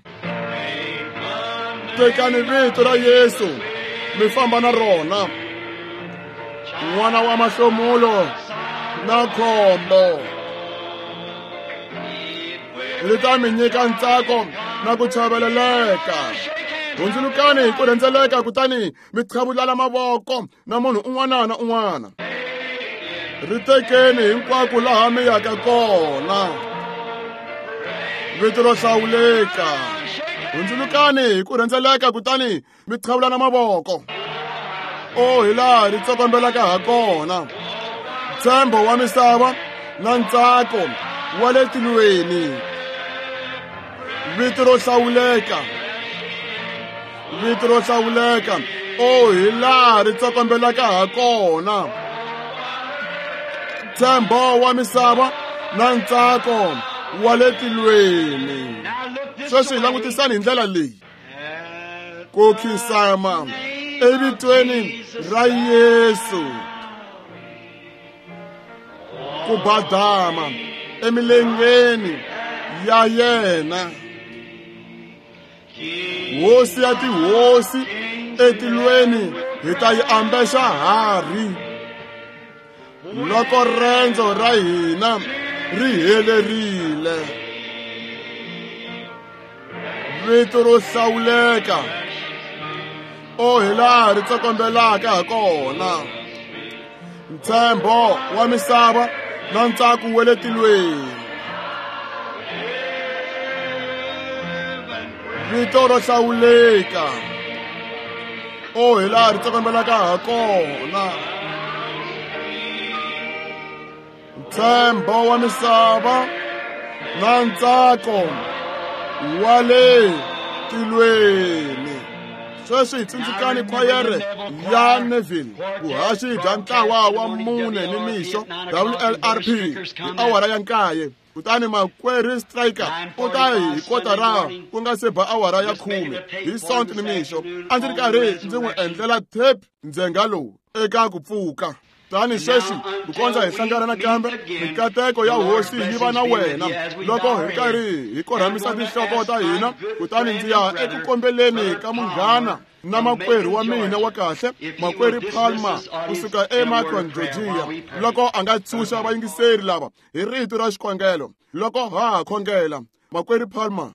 Tekani vito ra Yesu mi famba na rona. N'wana wa mahlomulo na khombo ri ta mi nyika ntsako na ku chaveleleka. Hundzulukani hi ku rhendzeleka kutani mi qhavulana mavoko na munhu un'wana na un'wana. Ri tekeni hinkwako laha mi yaka kona. Vito ro hlawuleka. Hundzulukani hi ku rhendzeleka kutani mi qhavulana mavoko. O hi laha ri tsokombelaka ha kona. Ntshembo wa misava na ntsako wa le tilweni. Vito ro hlawuleka. Vito ro hlawuleka. O hi laha ri tsokombelaka ha kona. Ntshembo wa misava na ntsako wa le tilweni. Sweswi hi langutisani hi ndlela leyi. Ku khinsama evitweni ra Yesu, ku badama emilengeni ya yena, Hosi ya tihosi etilweni hi ta yi ambexa harhi loko rendzo ra hina ri helerile. Vito ro hlawuleka, o hi laha ri tsokombelaka ha kona. Ntshembo wa misava na ntsako wa le tilweni. Vito ro hlawuleka. O hi laha ri tsokombelaka ha kona. Ntshembo wa misava na ntsako wa le tilweni. Sweswi hi tsundzukani khwayere ya Neville, vuhaxi bya ntlawa wa 4 ni mixo WLRP hi awara ya 9. Kutani makwerhu Striker u ta hi kotara ku nga se ba awara ya 10 hi Sonto ni mixo. A ndzi ri karhi ndzi n'wi endlela tape ndzhenga lowu eka ku pfuka. Tani sweswi ku kondza hi hlangana nakambe, mikateko ya Hosi yi va na wena loko hi karhi hi korhamisa tinhloko ta hina. Kutani ndzi ya eku kombeleni ka munghana na makwerhu wa mina wa kahle, makwerhu Palmer, kusuka eMacon, Georgia, loko a nga tshunxa vayingiseri lava hi rito ra xikhongelo loko ha ha khongela. Makwerhu Palmer.